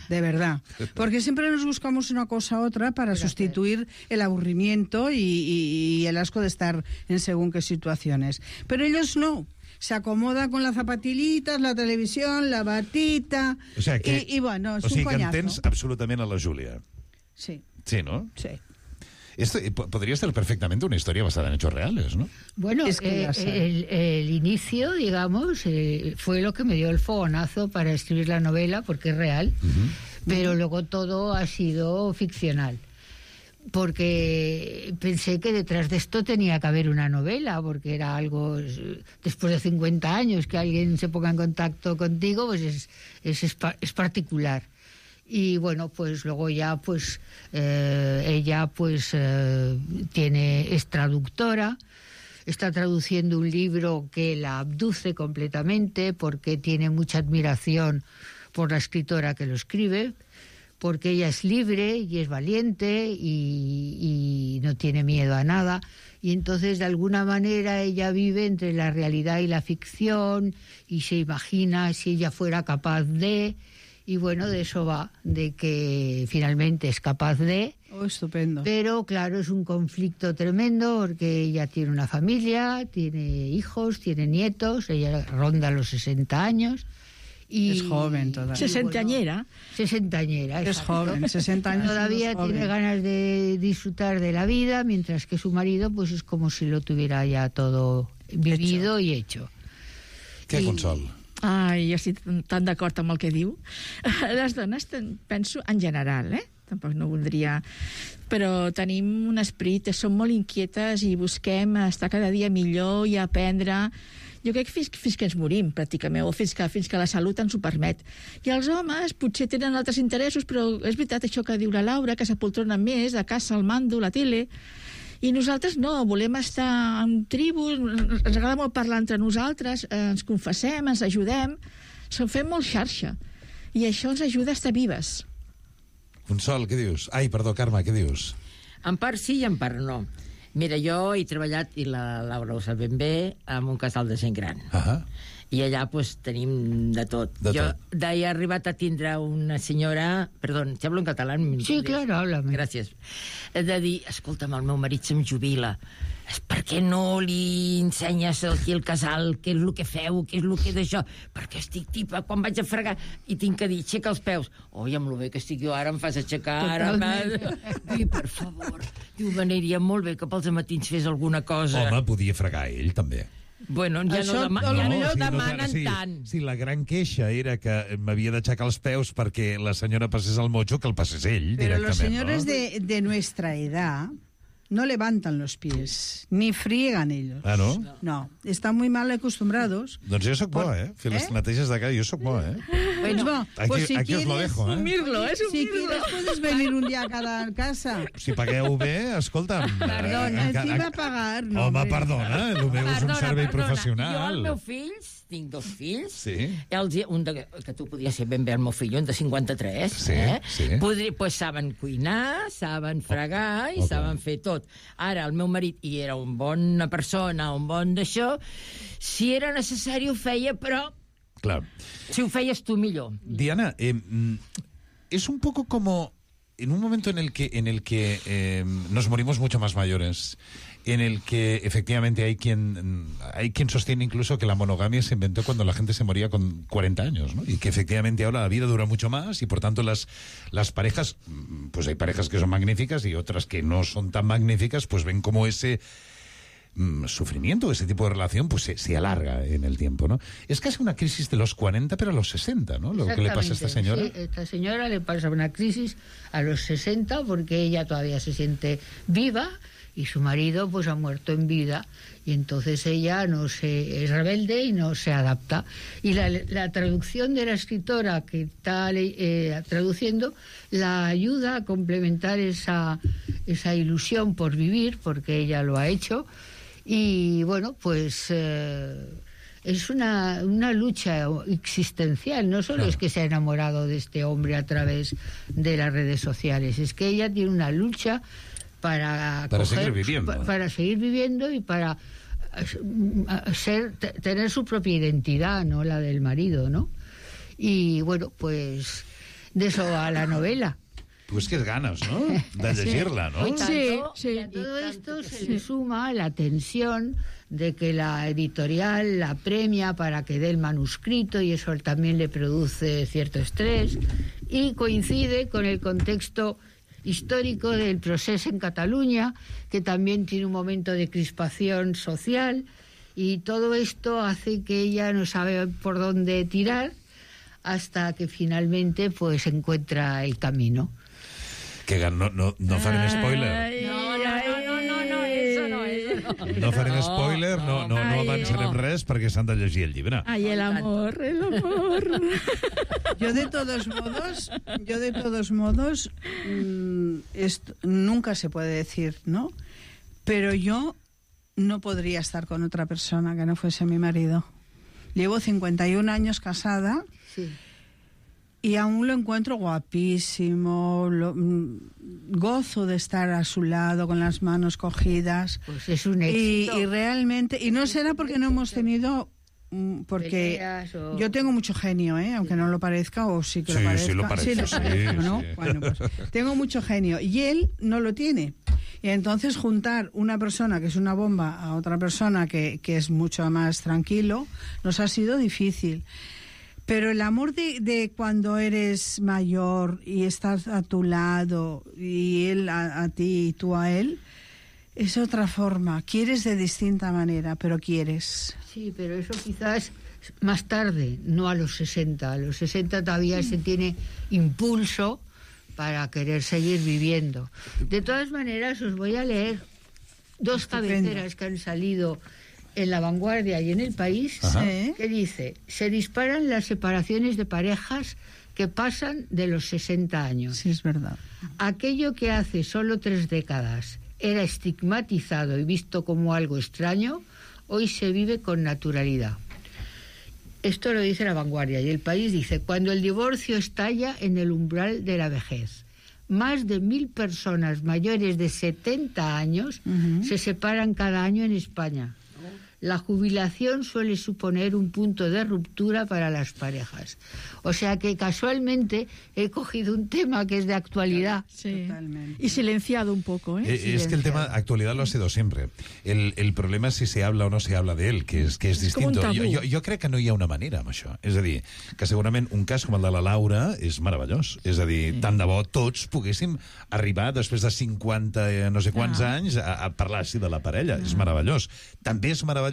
De verdad, porque siempre nos buscamos una cosa u otra para sustituir el aburrimiento y, y, y el asco de estar en según qué situaciones. Pero ellos no, se acomodan con las zapatillitas, la televisión, la batita, o sea que, y, y bueno, es o sigui un coñazo. que entens absolutament a la Júlia. Sí. Sí, ¿no? Sí. Esto podría ser perfectamente una historia basada en hechos reales, ¿no? Bueno, es que eh, el, el inicio, digamos, eh, fue lo que me dio el fogonazo para escribir la novela, porque es real, uh-huh. pero uh-huh. luego todo ha sido ficcional. Porque pensé que detrás de esto tenía que haber una novela, porque era algo, después de cincuenta años, que alguien se ponga en contacto contigo, pues es, es, es particular. Y bueno, pues luego ya pues eh, ella pues eh, tiene es traductora, está traduciendo un libro que la abduce completamente porque tiene mucha admiración por la escritora que lo escribe, porque ella es libre y es valiente y, y no tiene miedo a nada, y entonces de alguna manera ella vive entre la realidad y la ficción y se imagina si ella fuera capaz de... Y bueno, de eso va, de que finalmente es capaz de... Oh, estupendo. Pero claro, es un conflicto tremendo porque ella tiene una familia, tiene hijos, tiene nietos, ella ronda los sesenta años. Y, es joven todavía. Sesentañera. Bueno, sesentañera, es joven, sesenta años. Todavía tiene ganas de disfrutar de la vida, mientras que su marido pues es como si lo tuviera ya todo vivido hecho. y hecho. Què, Consol? Ai, jo estic tan d'acord amb el que diu. Les dones, penso, en general, eh? Tampoc no voldria... Però tenim un esperit, som molt inquietes i busquem estar cada dia millor i aprendre... Jo crec que fins, fins que ens morim, pràcticament, o fins que, fins que la salut ens ho permet. I els homes potser tenen altres interessos, però és veritat això que diu la Laura, que s'apoltronen més, de casa, al mando, la tele... I nosaltres no, volem estar en tribus, ens agrada molt parlar entre nosaltres, eh, ens confessem, ens ajudem, som fem molt xarxa, i això ens ajuda a estar vives. Consol, què dius? Ai, perdó, Carme, què dius? En part sí i en part no. Mira, jo he treballat, i la Laura ho sap ben bé, en un casal de gent gran. Ahà. I allà pues, tenim de tot. De jo tot. he arribat a tindre una senyora... Perdó, ¿te hablo en catalán? Sí, claro, háblame. Gràcies. De dir, escolta'm, el meu marit se'm jubila. Per què no li ensenyes aquí al casal què és el que feu, què és el que d'això? Perquè estic tipa, quan vaig a fregar i tinc que dir, aixeca els peus. Oi, amb lo bé que estic jo ara em fas aixecar. Ara, i per favor, diu, m'aniria molt bé que pels matins fes alguna cosa. Home, podia fregar ell, també. Bueno, ja Això, no, dema no, ja no, no, no demanen sí, tant. Sí, la gran queixa era que m'havia d'aixecar els peus perquè la senyora passés el motxo, que el passés ell, Pero directament. los señores ¿no? de, de nuestra edad no levantan los pies, ni friegan ellos. Ah, no? No, están muy mal acostumbrados. Doncs jo sóc bo, eh? Fer les ¿Eh? neteges de casa, jo sóc bo, eh? Bueno, Aquí, pues si aquí quieres, os lo dejo, eh? Mirlo, és un si mirlo. quieres puedes venir un día a cada casa. Si pagueu bé, escolta'm... Perdona, eh, qui va pagar? No, Home, hombre. perdona, el meu és un Perdona, servei perdona. professional. Jo, els meus fills, tinc dos fills, Sí. els, un de, que tu podies ser ben bé el meu fill, un de cinquanta-tres, Sí, eh? sí. Podri, pues saben cuinar, saben fregar i Ok. saben fer tot. Ara, el meu marit, i era un bona persona, un bon d'això, si era necessari ho feia, però Claro. si ho feies tu millor. Diana, eh, mm, es un poco como en un momento en el que, en el que eh, nos morimos mucho más mayores, en el que efectivamente hay quien hay quien sostiene incluso que la monogamia se inventó cuando la gente se moría con cuarenta años, ¿no? Y que efectivamente ahora la vida dura mucho más y por tanto las, las parejas, pues hay parejas que son magníficas y otras que no son tan magníficas, pues ven como ese mm, sufrimiento, ese tipo de relación, pues se, se alarga en el tiempo, ¿no? Es casi una crisis de los cuarenta, pero a los sesenta, ¿no? Lo que le pasa a esta señora. Sí, esta señora le pasa una crisis a los sesenta porque ella todavía se siente viva y su marido pues ha muerto en vida, y entonces ella no se es rebelde y no se adapta. Y la, la traducción de la escritora que está eh, traduciendo la ayuda a complementar esa, esa ilusión por vivir, porque ella lo ha hecho. Y bueno, pues eh, es una, una lucha existencial. No solo es que se ha enamorado de este hombre a través de las redes sociales, es que ella tiene una lucha para, para coger, seguir viviendo. Para, para seguir viviendo y para ser, tener su propia identidad, no la del marido, ¿no? Y bueno, pues de eso va la novela. Pues que ganas, ¿no? De llegirla, ¿no? Y, tanto, Sí, sí. y a todo esto se le suma la tensión de que la editorial la premia para que dé el manuscrito, y eso también le produce cierto estrés, y coincide con el contexto histórico del proceso en Cataluña, que también tiene un momento de crispación social, y todo esto hace que ella no sabe por dónde tirar hasta que finalmente pues encuentra el camino. Que no, no, no farem spoiler. No, no, no, no, no, no, eso no, eso no. No farem spoiler, no, no, no avançarem res perquè s'han de llegir el llibre. Ay, el amor, el amor. Yo de todos modos, yo de todos modos, mmm, esto, nunca se puede decir, ¿no? Pero yo no podría estar con otra persona que no fuese mi marido. Llevo cincuenta y un años casada. Sí. Y aún lo encuentro guapísimo, lo, mm, gozo de estar a su lado con las manos cogidas. Pues es un y, éxito. y realmente, y no será porque no hemos tenido, mm, porque Peleas o... yo tengo mucho genio, ¿eh? Aunque no lo parezca, o sí que Sí, lo parezca. sí lo parece, lo sí, parezca, ¿no? sí. Bueno, pues tengo mucho genio y él no lo tiene. Y entonces juntar una persona que es una bomba a otra persona que, que es mucho más tranquilo, nos ha sido difícil. Pero el amor de, de cuando eres mayor y estás a tu lado y él a, a ti y tú a él, es otra forma. Quieres de distinta manera, pero quieres. Sí, pero eso quizás más tarde, no a los sesenta. A los sesenta todavía mm. se tiene impulso para querer seguir viviendo. De todas maneras, os voy a leer dos Estupendo. cabeceras que han salido en La Vanguardia y en El País, Ajá. que dice: se disparan las separaciones de parejas que pasan de los sesenta años. Sí, es verdad. Aquello que hace solo tres décadas era estigmatizado y visto como algo extraño, hoy se vive con naturalidad. Esto lo dice La Vanguardia. Y El País dice: cuando el divorcio estalla en el umbral de la vejez, más de mil personas mayores de setenta años uh-huh. se separan cada año en España. La jubilación suele suponer un punto de ruptura para las parejas. O sea que casualmente he cogido un tema que es de actualidad. Sí. Totalmente. Y silenciado un poco, ¿eh? Eh, es que el tema actualidad lo ha sido siempre. El, el problema es si se habla o no se habla de él, que és, que és És com un distinto. tabú. Jo, jo, jo crec que no hi ha una manera amb això. És a dir, que segurament un cas com el de la Laura és meravellós. És a dir, tant de bo tots poguéssim arribar després de cinquanta eh, no sé quants Ah. anys a, a parlar així de la parella. És meravellós. També és meravellós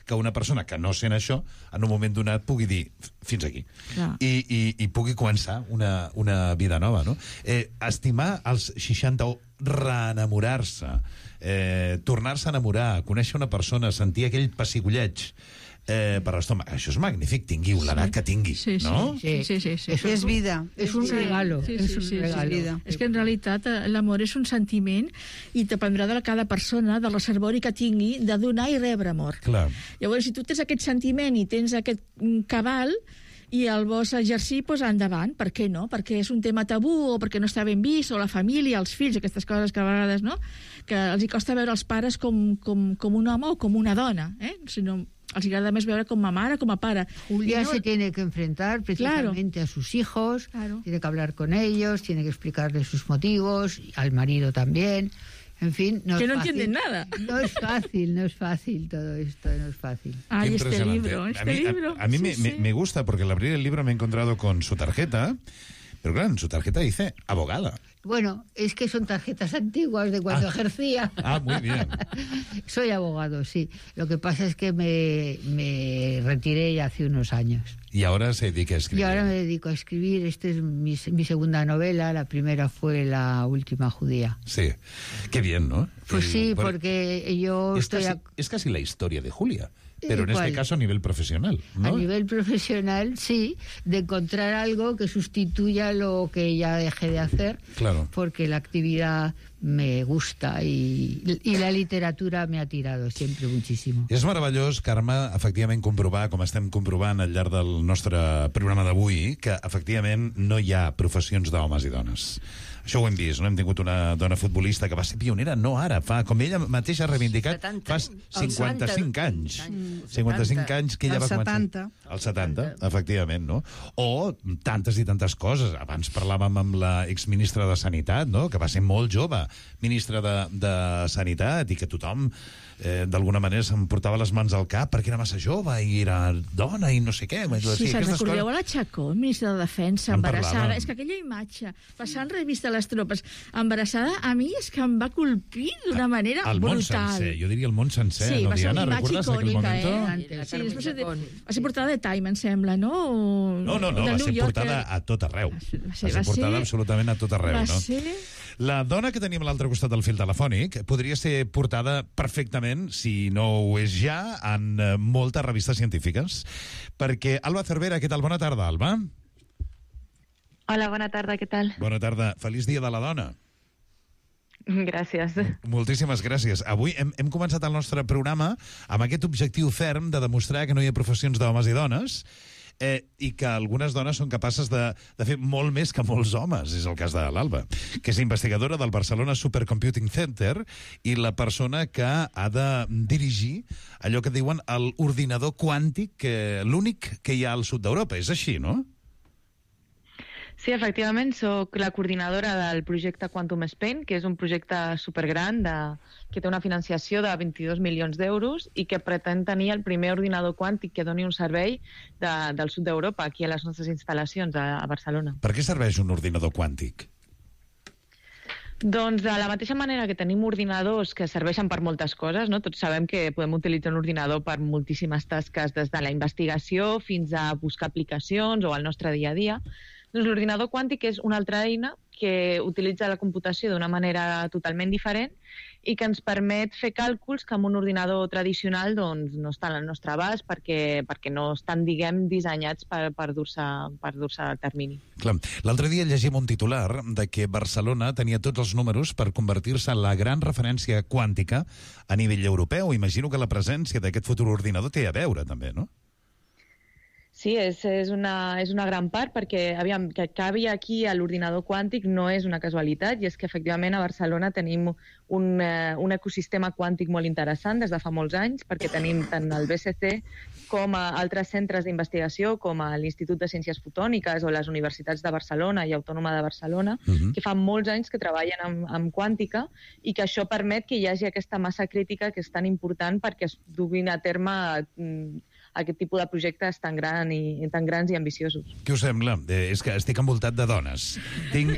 que una persona que no sent això en un moment donat pugui dir fins aquí. Clar. I, i, i pugui començar una, una vida nova, no? Eh, estimar als seixanta o reenamorar-se, eh, tornar-se a enamorar, conèixer una persona, sentir aquell pessigolleig eh, per l'estómac, això és magnífic, tingui l'edat que tingui, Sí, sí, no? sí, sí, sí, sí. Eso es vida. Es un Sí, regalo, sí, es sí, un sí, sí, regalo. vida. És que en realitat eh, l'amor és un sentiment i dependrà de cada persona, del reservori que tingui, de donar i rebre amor. Clar. Llavors, si tu tens aquest sentiment i tens aquest mm, cabal i el vols exercir, doncs endavant. Per què no? Perquè és un tema tabú o perquè no està ben vist, o la família, els fills, aquestes coses que a vegades, no?, que els hi costa veure els pares com, com, com un home o com una dona, eh? Sinó els agrada més veure com a mare, com a pare. Julia I no- se tiene que enfrentar precisamente a sus hijos, Claro. tiene que hablar con ellos, tiene que explicarles sus motivos, al marido también. En fin, no Que es no fácil. entienden nada. No es fácil, no es fácil todo esto, no es fácil. Ay, Qué este impresionante. libro, este a mí, libro. A, a mí Sí, me, sí. me, me gusta porque al abrir el libro me he encontrado con su tarjeta, pero claro, en su tarjeta dice abogada. Bueno, es que son tarjetas antiguas de cuando Ah. ejercía. Ah, muy bien. Soy abogado, sí. Lo que pasa es que me, me retiré ya hace unos años. Y ahora se dedica a Y escribir. ahora me dedico a escribir. Esta es mi, mi segunda novela. La primera fue La última judía. Sí, qué bien, ¿no? Pues El- sí, por- porque yo es estoy... casi, a- es casi la historia de Julia, pero en ¿cuál? este caso a nivel profesional, ¿no? A nivel profesional, sí, de encontrar algo que sustituya lo que ya dejé de hacer, Claro. porque la actividad me gusta y, y la literatura me ha tirado siempre muchísimo. És meravellós, Carme, efectivament comprovar, com estem comprovant al llarg del nostre programa d'avui, que efectivament no hi ha professions d'homes i dones. Això ho hem vist, no? Hem tingut una dona futbolista que va ser pionera, no ara, fa, com ella mateixa ha reivindicat, fa cinquanta-cinc anys. cinquanta-cinc anys que ella El va començar. setanta. El setanta, efectivament, no? O tantes i tantes coses. Abans parlàvem amb la exministra de Sanitat, no? Que va ser molt jove, ministra de, de Sanitat, i que tothom eh, d'alguna manera se'm portava les mans al cap perquè era massa jove i era dona i no sé què. Sí, se'n recordeu a la Chacón, ministra de Defensa, En embarassada. parlàvem. És que aquella imatge, passant revista a les tropes, embarassada, a mi és que em va colpir d'una manera El món brutal. sencer, jo diria el món sencer, Sí, no, va ser Diana? una imatge Recordes aquell icònica, moment? eh? Sí, després de, va ser portada de Time, em sembla, no? No, no, no, De va New ser Yorker. portada a tot arreu. Va ser- Va ser va portada ser- absolutament a tot arreu, Va no? ser... La dona que tenim a l'altre costat del fil telefònic podria ser portada perfectament, si no ho és ja, en eh, moltes revistes científiques. Perquè Alba Cervera, què tal? Bona tarda, Alba. Hola, bona tarda, què tal? Bona tarda. Feliç dia de la dona. Gràcies. Moltíssimes gràcies. Avui hem, hem començat el nostre programa amb aquest objectiu ferm de demostrar que no hi ha professions d'homes i dones, eh, i que algunes dones són capaces de, de fer molt més que molts homes. És el cas de l'Alba, que és investigadora del Barcelona Supercomputing Center i la persona que ha de dirigir allò que diuen l'ordinador quàntic, que l'únic que hi ha al sud d'Europa. És així, no? Sí, efectivament, sóc la coordinadora del projecte Quantum Spain, que és un projecte supergran de, que té una financiació de vint-i-dos milions d'euros i que pretén tenir el primer ordinador quàntic que doni un servei de, del sud d'Europa, aquí a les nostres instal·lacions a, a Barcelona. Per què serveix un ordinador quàntic? Doncs de la mateixa manera que tenim ordinadors que serveixen per moltes coses, no? Tots sabem que podem utilitzar un ordinador per moltíssimes tasques, des de la investigació fins a buscar aplicacions o al nostre dia a dia. Doncs l'ordinador quàntic és una altra eina que utilitza la computació d'una manera totalment diferent i que ens permet fer càlculs que amb un ordinador tradicional doncs, no estan al nostre abast perquè, perquè no estan, diguem, dissenyats per, per dur-se per dur-se a termini. Clar. L'altre dia llegim un titular de que Barcelona tenia tots els números per convertir-se en la gran referència quàntica a nivell europeu. Imagino que la presència d'aquest futur ordinador té a veure, també, no? Sí, és, és, una, és una gran part perquè, aviam, que acabi aquí a l'ordinador quàntic no és una casualitat i és que efectivament a Barcelona tenim un, eh, un ecosistema quàntic molt interessant des de fa molts anys perquè tenim tant el B C C com a altres centres d'investigació com a l'Institut de Ciències Fotòniques o les universitats de Barcelona i Autònoma de Barcelona, Mhm. que fa molts anys que treballen amb, amb quàntica i que això permet que hi hagi aquesta massa crítica que és tan important perquè es duguin a terme mm, aquest tipus de projectes tan, gran i, tan grans i ambiciosos. Què us sembla? Eh, és que estic envoltat de dones. Tinc,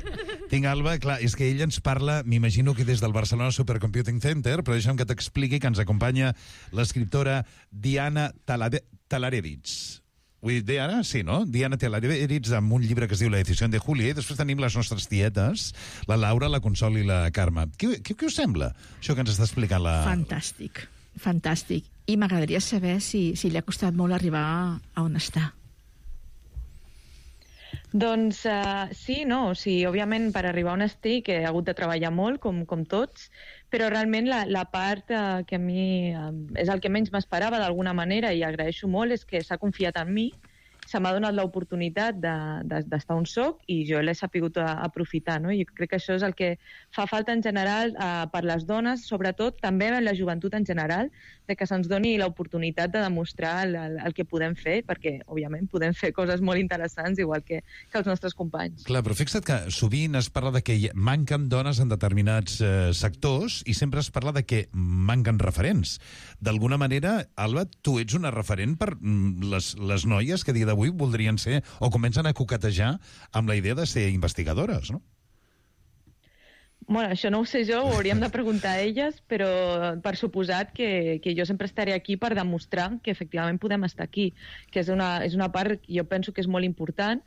tinc Alba, clar, és que ella ens parla, m'imagino que des del Barcelona Supercomputing Center, però deixa'm que t'expliqui que ens acompanya l'escriptora Diana Talade- Talarevich. Vull dir, Diana, sí, no? Diana Talarevich, amb un llibre que es diu La decisió de Julia, i després tenim les nostres tietes, la Laura, la Consol i la Carme. Què, què, què us sembla, això que ens està explicant la... Fantàstic, fantàstic. I m'agradaria saber si, si li ha costat molt arribar a, a on està. Doncs uh, sí, no, sí, òbviament per arribar on estic he hagut de treballar molt, com, com tots, però realment la, la part uh, que a mi uh, és el que menys m'esperava d'alguna manera i agraeixo molt és que s'ha confiat en mi, se m'ha donat l'oportunitat d'estar de, de, on soc i jo l'he sapigut aprofitar, no? I crec que això és el que fa falta en general eh, per les dones, sobretot també en la joventut en general, de que se'ns doni l'oportunitat de demostrar el, el, el que podem fer, perquè, òbviament, podem fer coses molt interessants, igual que, que els nostres companys. Clar, però fixa't que sovint es parla de que hi manquen dones en determinats eh, sectors i sempre es parla de que manquen referents. D'alguna manera, Alba, tu ets una referent per mm, les, les noies que a dia d'avui voldrien ser o comencen a coquetejar amb la idea de ser investigadores, no? Bueno, això no ho sé jo, ho hauríem de preguntar a elles, però per suposat que, que jo sempre estaré aquí per demostrar que efectivament podem estar aquí, que és una, és una part que jo penso que és molt important,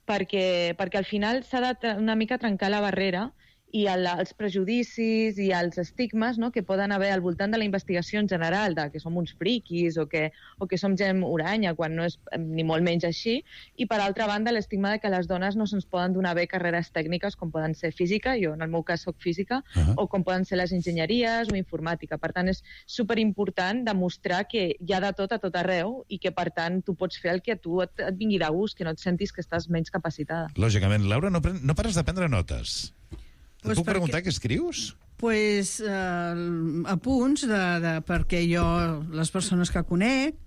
perquè, perquè al final s'ha de una mica trencar la barrera i el, els prejudicis i els estigmes, no?, que poden haver al voltant de la investigació en general, de que som uns friquis o que, o que som gent uranya, quan no és ni molt menys així, i per altra banda l'estigma de que les dones no se'ns poden donar bé carreres tècniques com poden ser física, jo en el meu cas soc física, uh-huh. o com poden ser les enginyeries o informàtica. Per tant, és superimportant demostrar que hi ha de tot a tot arreu i que, per tant, tu pots fer el que a tu et, et vingui de gust, que no et sentis que estàs menys capacitada. Lògicament. Laura, no, pren, no pares de prendre notes. Et Pues puc perquè... preguntar què escrius? Pues, eh, apunts de, de, perquè jo, les persones que conec,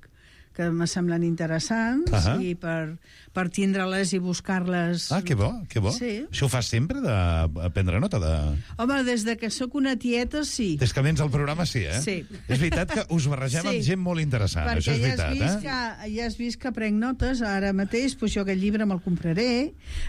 que me semblen interessants, uh-huh. i per, per tindre-les i buscar-les... Ah, que bo, que bo. Sí. Això ho fas sempre, de prendre nota? De... Home, des de que sóc una tieta, sí. Des que vens al programa, sí, eh? Sí. És veritat que us barregem sí. amb gent molt interessant, perquè això és ja veritat, has vist eh? que, ja has vist que prenc notes, ara mateix, doncs jo aquest llibre me'l compraré,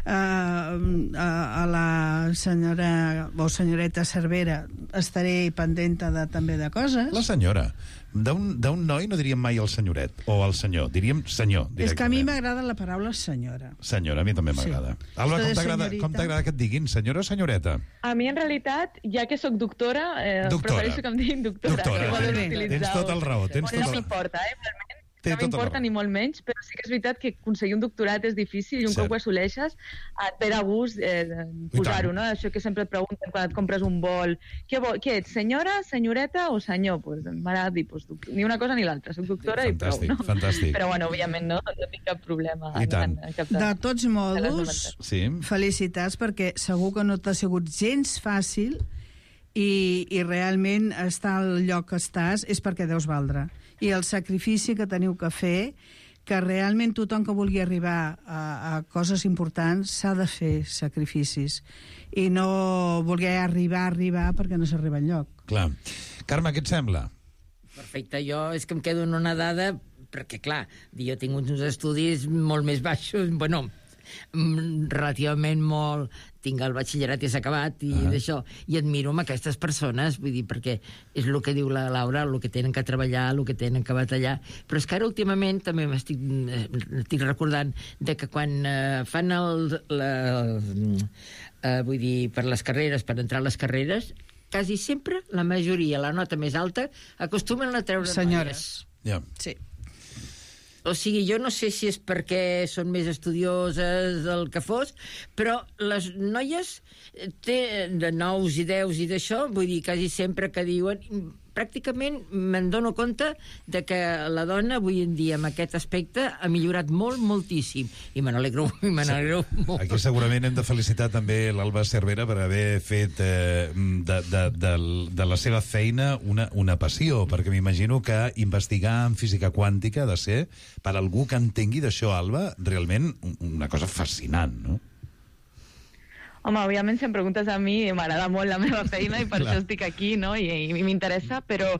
uh, a, a la senyora, o senyoreta Cervera, estaré pendenta de, també de coses. La senyora. D'un noi no diríem mai el senyoret, o el senyor, diríem senyor, directament. És que a mi m'agrada la paraula senyora. Senyora, a mi també m'agrada. Sí. Alba, com t'agrada com t'agrada que et diguin, senyora o senyoreta? A mi, en realitat, ja que sóc doctora, eh, doctora. prefereixo que em diguin doctora. Doctora, que tens, utilitzar tens tot el raó. Tens no tot el... m'importa, eh, realment. Té No m'importa ni molt menys, però sí que és veritat que aconseguir un doctorat és difícil i un Cert. cop ho assoleixes et ve de gust eh, posar-ho, no? Això que sempre et pregunten quan et compres un vol. Què, vol, què ets, senyora, senyoreta o senyor? Pues, m'agrada dir, pues, ni una cosa ni l'altra. Soc doctora fantàstic, i prou, no? Fantàstic. Però, bueno, òbviament no, no tinc cap problema. I tant. En, en cap De tots modos, sí. felicitats, perquè segur que no t'ha sigut gens fàcil i, i realment estar al lloc que estàs és perquè deus valdre. I el sacrifici que teniu que fer, que realment tothom que vulgui arribar a, a coses importants s'ha de fer sacrificis i no voler arribar, arribar perquè no s'arriba enlloc. Clar. Carme, què et sembla? Perfecte, jo és que em quedo en una dada, perquè clar, jo tinc uns estudis molt més baixos, bueno, relativament molt, tinc el batxillerat i s'ha acabat i ah. d'això, i admiro amb aquestes persones, vull dir, perquè és el que diu la Laura, el que tenen que treballar, el que tenen que batallar, però és que ara últimament també m'estic estic recordant de que quan eh, fan el, la, eh, vull dir, per les carreres, per entrar a les carreres, quasi sempre, la majoria, la nota més alta, acostumen a treure senyores. Ja. Sí. O sigui, jo no sé si és perquè són més estudioses del que fos, però les noies té de nous i deus i d'això, vull dir, quasi sempre que diuen... Pràcticament me'n dono compte de que la dona avui en dia amb aquest aspecte ha millorat molt, moltíssim. I me n'alegro, i me n'alegro sí. molt. Aquí segurament hem de felicitar també l'Alba Cervera per haver fet eh, de, de, de, de la seva feina una, una passió, perquè m'imagino que investigar en física quàntica ha de ser, per algú que entengui d'això, Alba, realment una cosa fascinant, no? Home, òbviament, si em preguntes a mi, m'agrada molt la meva feina i per Clar. això estic aquí, no? I, i m'interessa, però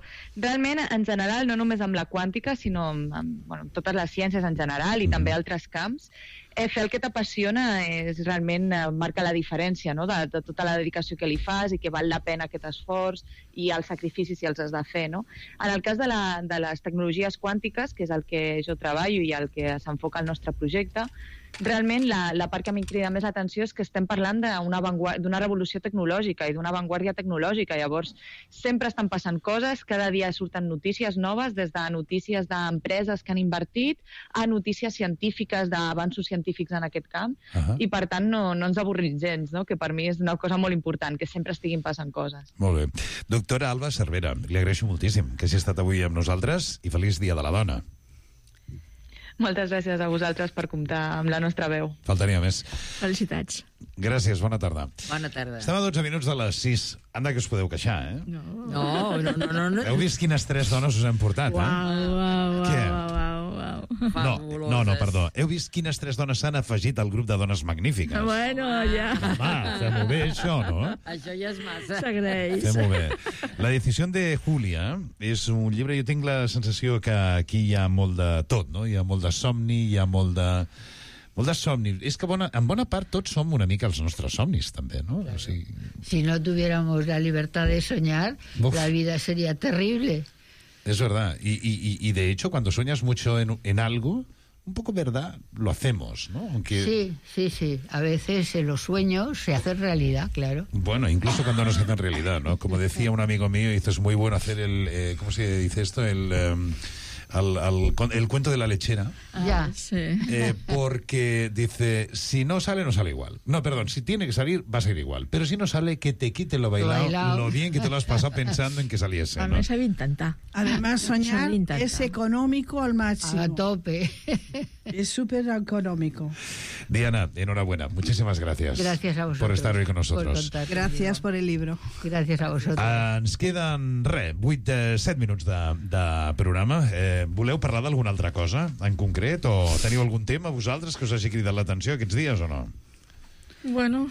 realment, en general, no només amb la quàntica, sinó amb, amb, bueno, amb totes les ciències en general i mm. també altres camps, eh, fer el que t'apassiona és realment eh, marca la diferència, no? de, de tota la dedicació que li fas i que val la pena aquest esforç i els sacrificis si els has de fer, no? En el cas de, la, de les tecnologies quàntiques, que és el que jo treballo i el que s'enfoca el nostre projecte, realment la, la part que a mi em crida més l'atenció és que estem parlant d'una revolució tecnològica i d'una avantguàrdia tecnològica. Llavors, sempre estan passant coses, cada dia surten notícies noves, des de notícies d'empreses que han invertit a notícies científiques, d'avanços científics en aquest camp, uh-huh. i per tant no, no ens avorrim gens, no? Que per mi és una cosa molt important, que sempre estiguin passant coses. Molt bé. Doctora Alba Cervera, li agraeixo moltíssim que hagi estat avui amb nosaltres i feliç Dia de la Dona. Moltes gràcies a vosaltres per comptar amb la nostra veu. Faltaria més. Felicitats. Gràcies, bona tarda. Bona tarda. Estem a dotze minuts de les sis. Anda, que us podeu queixar, eh? No, no, no. no, no. Heu vist quines tres dones us hem portat, uau, eh? Uau, uau, Què? uau, uau, uau. No, no, no, perdó. Heu vist quines tres dones s'han afegit al grup de dones magnífiques? Bueno, ja. Home, fem-ho bé, això, no? Això ja és massa. S'agraeix. Fem-ho bé. La decisió de Julia és un llibre... Jo tinc la sensació que aquí hi ha molt de tot, no? Hi ha molt de somni, hi ha molt de... Molt de somni. És que bona, en bona part tots som una mica els nostres somnis, també, no? Claro. O sigui... Si no tuviéramos la libertad de soñar, Uf. la vida sería terrible. Es verdad. Y, y, y de hecho, cuando sueñas mucho en, en algo, un poco verdad, lo hacemos, ¿no? Aunque... Sí, sí, sí. A veces en los sueños se hacen realidad, claro. Bueno, incluso cuando no se hacen realidad, ¿no? Como decía un amigo mío, dice, es muy bueno hacer el... Eh, ¿Cómo se dice esto? El... Um, Al, al, el cuento de la lechera. Ya, sí. Eh, porque dice, si no sale, no sale igual. No, perdón, si tiene que salir, va a ser igual. Pero si no sale, que te quite lo bailado, lo, bailado. lo bien que te lo has pasado pensando en que saliese. A ¿no? mí sabe intentar. Además, soñar es económico al máximo. A tope. Es súper económico. Diana, enhorabuena. Muchísimas gracias. Gracias a vosotros. Por estar hoy con nosotros. Por gracias por el libro. Gracias a vosotros. Uh, ens queden, res, vuit, set minuts de, de programa. Eh, voleu parlar d'alguna altra cosa en concret? O teniu algun tema vosaltres que us hagi cridat l'atenció aquests dies o no? Bueno,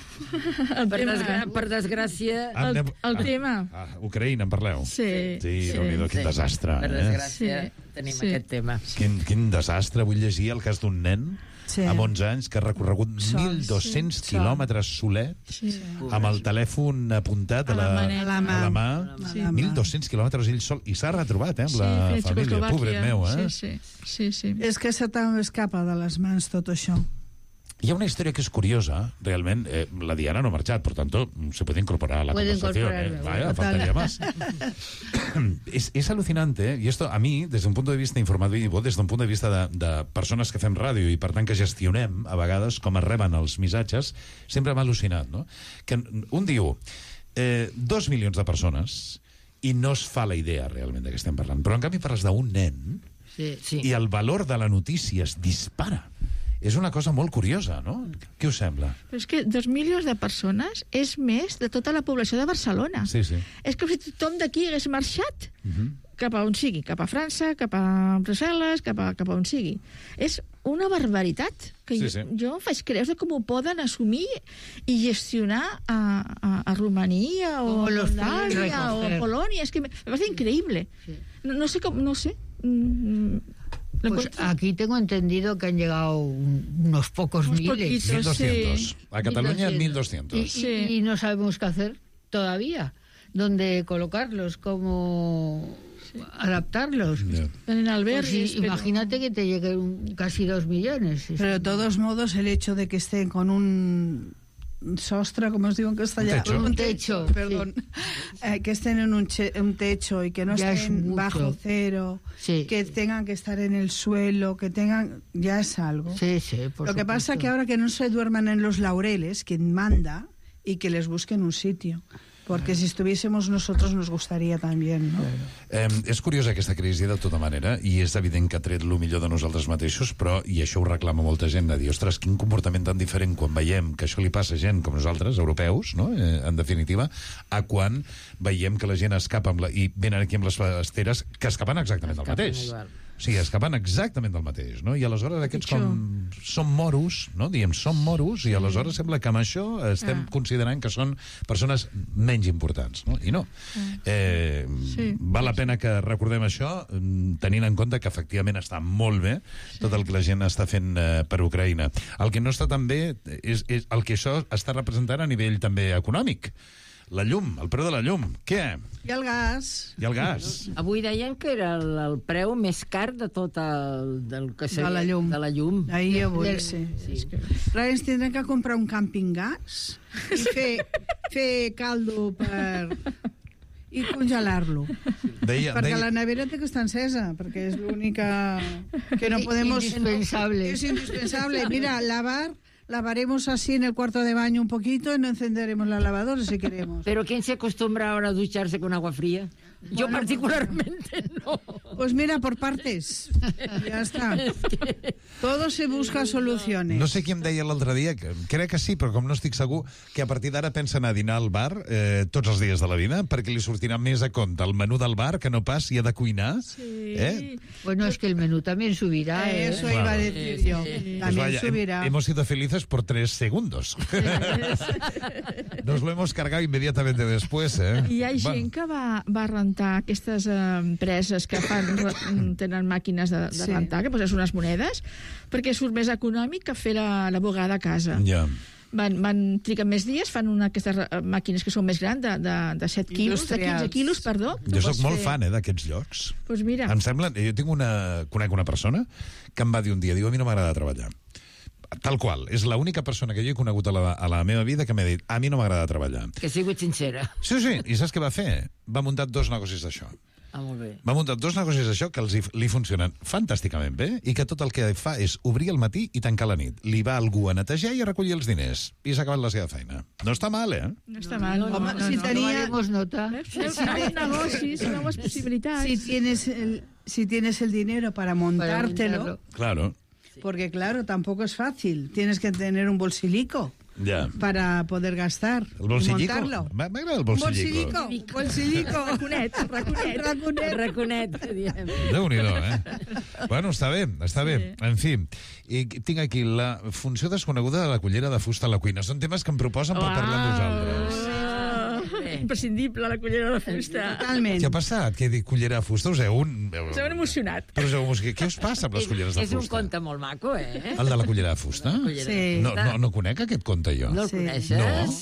el per, tema... desgra per desgràcia... El, el ah, tema. Ah, Ucraïna, en parleu? Sí. Sí, sí. Déu-n'hi-do, quin sí. desastre. Per eh? desgràcia sí. tenim sí. aquest tema. Quin, quin desastre. Vull llegir el cas d'un nen sí. amb onze anys que ha recorregut Sols, mil dos-cents sí. quilòmetres solet sí. amb el telèfon apuntat a la, a la mà. a la mà. Sí. mil dos-cents quilòmetres ell sol. I s'ha retrobat, eh, amb sí, la família. Pobret meu, eh? Sí, sí. sí, sí. És que se t'escapa de les mans tot això. Hi ha una historia que es curiosa, realmente. Eh, la Diana no ha marchado, por tanto, se puede incorporar a la Puede conversación. Eh. Vaya, faltaría más. es, es alucinante, eh? Y esto a mí, desde un punto de vista informativo, desde un punto de vista de, de persones que fem ràdio i, per tant, que gestionem, a vegades, com es reben els missatges, sempre m'ha al·lucinat, no? Que un diu, eh, dos milions de persones, i no es fa la idea, realment, de què estem parlant. Però, en canvi, parles d'un nen, sí, sí. i el valor de la notícia es dispara. És una cosa molt curiosa, no? Què us sembla? Però és que dos milions de persones és més de tota la població de Barcelona. Sí, sí. És com si tothom d'aquí hagués marxat Uh-huh. cap a on sigui, cap a França, cap a Brussel·les, cap a, cap a on sigui. És una barbaritat que Sí, jo, sí. jo em faig creure de com ho poden assumir i gestionar a, a, a Romania o Como a los Moldàvia o a recoger. Polònia. És que me, me parece increíble. Sí. No, no sé com, no sé. Mm, lo Pues encuentro- aquí tengo entendido que han llegado un- unos pocos Unos miles. poquitos. mil doscientos. Sí. A Cataluña, mil mil doscientos. Y, y- y no sabemos qué hacer todavía. ¿Dónde colocarlos? ¿Cómo adaptarlos? Ya. en Pues albergues, sí, pero- imagínate que te lleguen casi dos millones. Pero de todos modos, el hecho de que estén con un sostre, como os digo en castellano. techo. Un techo, perdón. Eh, que estén en un, che- un techo y que no Ya es estén mucho. bajo cero, Sí. que tengan que estar en el suelo, que tengan... Ya es algo. Sí, sí, por Lo que pasa supuesto. que ahora que no se duerman en los laureles, quien manda, y que les busquen un sitio. Porque si estuviésemos nosotros nos gustaría también, ¿no? Eh, és curiosa aquesta crisi de tota manera i és evident que ha tret el millor de nosaltres mateixos, però, i això ho reclama molta gent, de dir, ostres, quin comportament tan diferent quan veiem que això li passa a gent com nosaltres, europeus, no? eh, en definitiva, a quan veiem que la gent escapa amb la, i venen aquí amb les esteres que escapen exactament del Escapen mateix. igual. O sigui, escapen exactament del mateix, no? I aleshores aquests Pitjor. com són moros, no? Diem, són moros, i aleshores sembla que amb això estem Ah. considerant que són persones menys importants, no? I no. Eh, Sí. val la pena que recordem això, mm, tenint en compte que efectivament està molt bé tot el que la gent està fent eh, per Ucraïna. El que no està tan bé és, és el que això està representant a nivell també econòmic. La llum, el preu de la llum. Què? I el gas. I el gas. Avui deien que era el, el preu més car de tot el... Del que De la llum. De la llum. Ahir avui, Del- sí. Sí. Clar, ens tindrem que comprar un càmping gas i fer, fer caldo per... i congelar-lo. Deia, Perquè deia, la nevera té que estar encesa, perquè és l'única que no podemos... Indispensable. Es indispensable. Mira, lavar, lavaremos así en el cuarto de baño un poquito y no encenderemos la lavadora si queremos. Pero ¿quién se acostumbra ahora a ducharse con agua fría? Yo Bueno, particularmente no. Pues mira, por partes. Ya está. Todo se busca soluciones. no sé qui em deia l'altre dia, que crec que sí, però com no estic segur, que a partir d'ara pensa anar a dinar al bar eh, tots els dies de la vida, perquè li sortirà més a compte el menú del bar que no pas si ha de cuinar. Sí. Eh? Bueno, es que el menú también subirá. Eh, ¿eh? Eso Claro. iba a decir yo. Pues También vaya, hem- subirá. hemos sido felices por tres segundos. Nos lo hemos cargado inmediatamente después, ¿eh? Hi ha Va. gent que va, va rentar rentar aquestes eh, empreses que fan, tenen màquines de, de Sí. rentar, que poses unes monedes, perquè surt més econòmic que fer la, la bugada a casa. Ja. Van, van triguen més dies, fan una aquestes eh, màquines que són més grans, de, de, de set quilos, de quinze quilos, perdó. Jo sóc molt fan, eh, d'aquests llocs. Pues mira. Em sembla... Jo tinc una... conec una persona que em va dir un dia, diu, a mi no m'agrada treballar. Tal qual. És l'única persona que jo he conegut a la, a la meva vida que m'ha dit, a mi no m'agrada treballar. Que ha sigut sincera. Sí, sí. I saps què va fer? Va muntar dos negocis d'això. Ah, molt bé. Va muntar dos negocis d'això que els hi, li funcionen fantàsticament bé i que tot el que fa és obrir al matí i tancar a la nit. Li va algú a netejar i a recollir els diners. I s'ha acabat la seva feina. No està mal, eh? No està mal. No, Home, no, si no, tenia- no. nota. Nous negocis, noves possibilitats. Si tienes el, si tienes el dinero para montártelo, Claro. porque claro, tampoco es fácil. Tienes que tener un bolsilico Ja. para poder gastar El bolsillico? y montarlo. M'ha- M'agrada el bolsillico. Bolsillico, bolsillico. Raconet, raconet. Raconet. Raconet, diem. Déu-n'hi-do, eh? Bueno, està bé, està bé. En fi, i tinc aquí la funció desconeguda de la cullera de fusta a la cuina. Són temes que em proposen per parlar amb vosaltres. Imprescindible, la cullera de fusta. Totalment. Què ha passat? Què dic cullera de fusta? Us heu un... S'han emocionat. Però us heu... Què, què us passa amb les culleres de És un fusta? conte molt maco, eh? El de la cullera de fusta? cullera de Sí. No, fusta. no, no conec aquest conte jo. No el Sí. coneixes? No.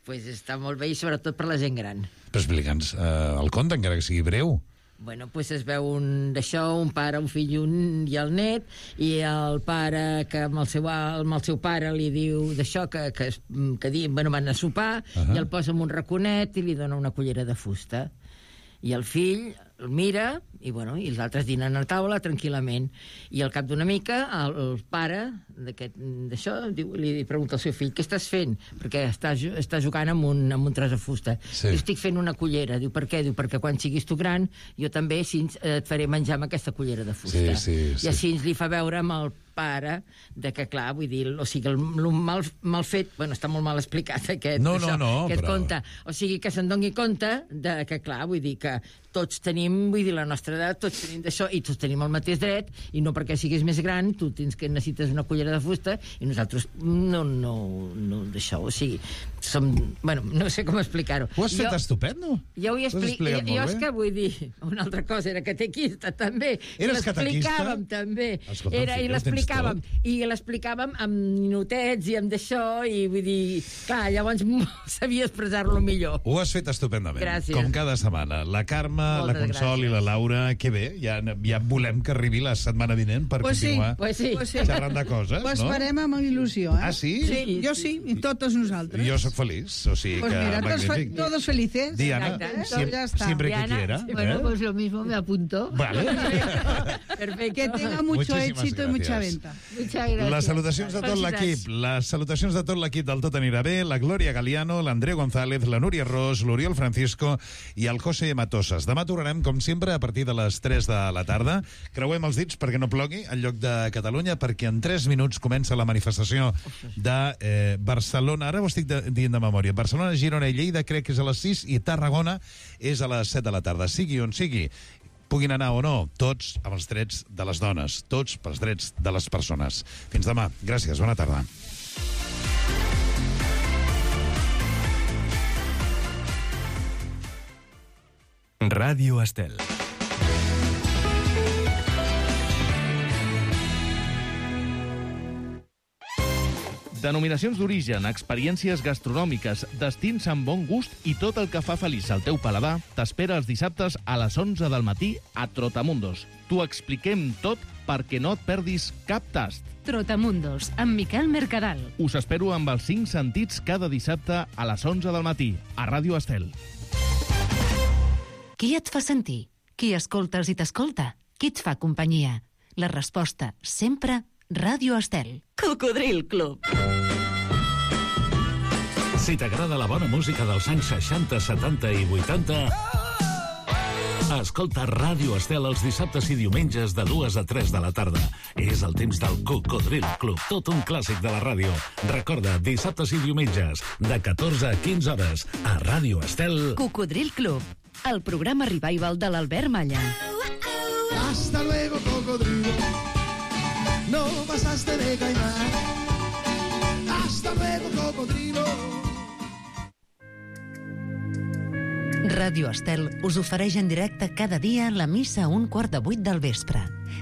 Pues està molt bé i sobretot per la gent gran. Però explica'ns eh, el conte, encara que sigui breu. Bueno, pues es veu un d'això, un pare, un fill i, un, i el net, i el pare que amb el seu, amb el seu pare li diu d'això, que, que, es- que di, bueno, van a sopar, Ahà. i el posa en un raconet i li dona una cullera de fusta. I el fill el mira, i, bueno, i els altres dinen a taula tranquil·lament. I al cap d'una mica, el, el pare d'aquest- d'això diu- li pregunta al seu fill, què estàs fent? Perquè està, ju- està jugant amb un, amb un tros de fusta. Sí. Diu, estic fent una cullera. Diu, per què? Diu, perquè quan siguis tu gran, jo també així eh, et faré menjar amb aquesta cullera de fusta. Sí, sí, sí. I així li fa veure amb el pare de que, clar, vull dir, o sigui, el, el mal, mal fet, bueno, està molt mal explicat aquest, No, no, això, no, aquest però- conte. O sigui, que se'n doni compte de que, clar, vull dir que tots tenim, vull dir, la nostra edat, tots tenim d'això, i tots tenim el mateix dret, i no perquè siguis més gran, tu tens que necessites una cullera de fusta, i nosaltres no, no, no d'això, o sigui, som, bueno, no sé com explicar-ho. Ho has fet estupendo. Jo ho he Ho has explicat, explicat jo, jo molt és bé. que vull dir, una altra cosa era catequista també, Eres i l'explicàvem catequista? també, Escolta, era, i fill, ho tens l'explicàvem, tot. i l'explicàvem amb minutets i amb d'això, i vull dir, clar, llavors sabia expressar-lo millor. Ho has fet estupendament. Gràcies. Com cada setmana. La Carme, Moltes la Consol i la Laura, que bé, ja, ja volem que arribi la setmana vinent per Pues sí, continuar pues sí. Pues sí. xerrant de coses, Pues no? farem amb il·lusió, eh? Ah, sí? Sí, jo sí, i totes nosaltres. Jo sóc feliç, o sigui Pues que mira, todos, fe- magnífic. todos felices. Diana, Exacte, ¿eh? siem- Ya está. siempre que Diana, quiera. Bueno, ¿eh? pues lo mismo me apunto. Vale. Perfecto. Que tenga mucho Muchísimas éxito y mucha gracias. venta. Muchas gracias. Les salutacions de tot l'equip. Les salutacions de tot l'equip del Tot anirà bé, la Glòria Galiano, l'Andreu González, la Núria Ros, l'Oriol Francisco i el José Matosas. Demà tornarem, com sempre, a partir de les tres de la tarda. Creuem els dits perquè no plogui en lloc de Catalunya, perquè en tres minuts comença la manifestació de eh, Barcelona. Ara ho estic de, dient de memòria. Barcelona, Girona i Lleida crec que és a les sis i Tarragona és a les set de la tarda. Sigui on sigui, puguin anar o no, tots amb els drets de les dones, tots pels drets de les persones. Fins demà. Gràcies. Bona tarda. Ràdio Estel. Denominacions d'origen, experiències gastronòmiques, destins amb bon gust i tot el que fa feliç al teu paladar t'espera els dissabtes a les onze del matí a Trotamundos. T'ho expliquem tot perquè no et perdis cap tast. Trotamundos, amb Miquel Mercadal. Us espero amb els cinc sentits cada dissabte a les onze del matí a Ràdio Estel. Qui et fa sentir? Qui escoltes i t'escolta? Qui et fa companyia? La resposta, sempre, Ràdio Estel. Cocodril Club. Si t'agrada la bona música dels anys seixanta, setanta i vuitanta, escolta Ràdio Estel els dissabtes i diumenges de dues a tres de la tarda. És el temps del Cocodril Club, tot un clàssic de la ràdio. Recorda, dissabtes i diumenges, de catorze a quinze hores, a Ràdio Estel. Cocodril Club, el programa revival de l'Albert Malla. Hasta luego, cocodrilo. No pasaste de caimán. Hasta luego, cocodrilo. Ràdio Estel us ofereix en directe cada dia la missa a un quart de vuit del vespre.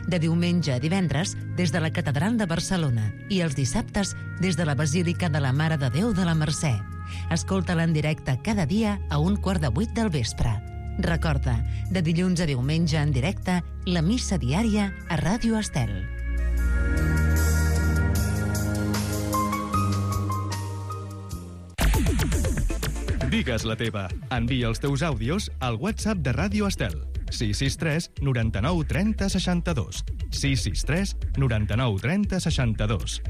De diumenge a divendres, des de la Catedral de Barcelona, i els dissabtes, des de la Basílica de la Mare de Déu de la Mercè. Escolta-la en directe cada dia a un quart de vuit del vespre. Recorda, de dilluns a diumenge en directe, la missa diària a Ràdio Estel. Digues la teva. Envia els teus àudios al WhatsApp de Ràdio Estel. sis sis tres noranta-nou trenta seixanta-dos. sis sis tres noranta-nou trenta seixanta-dos.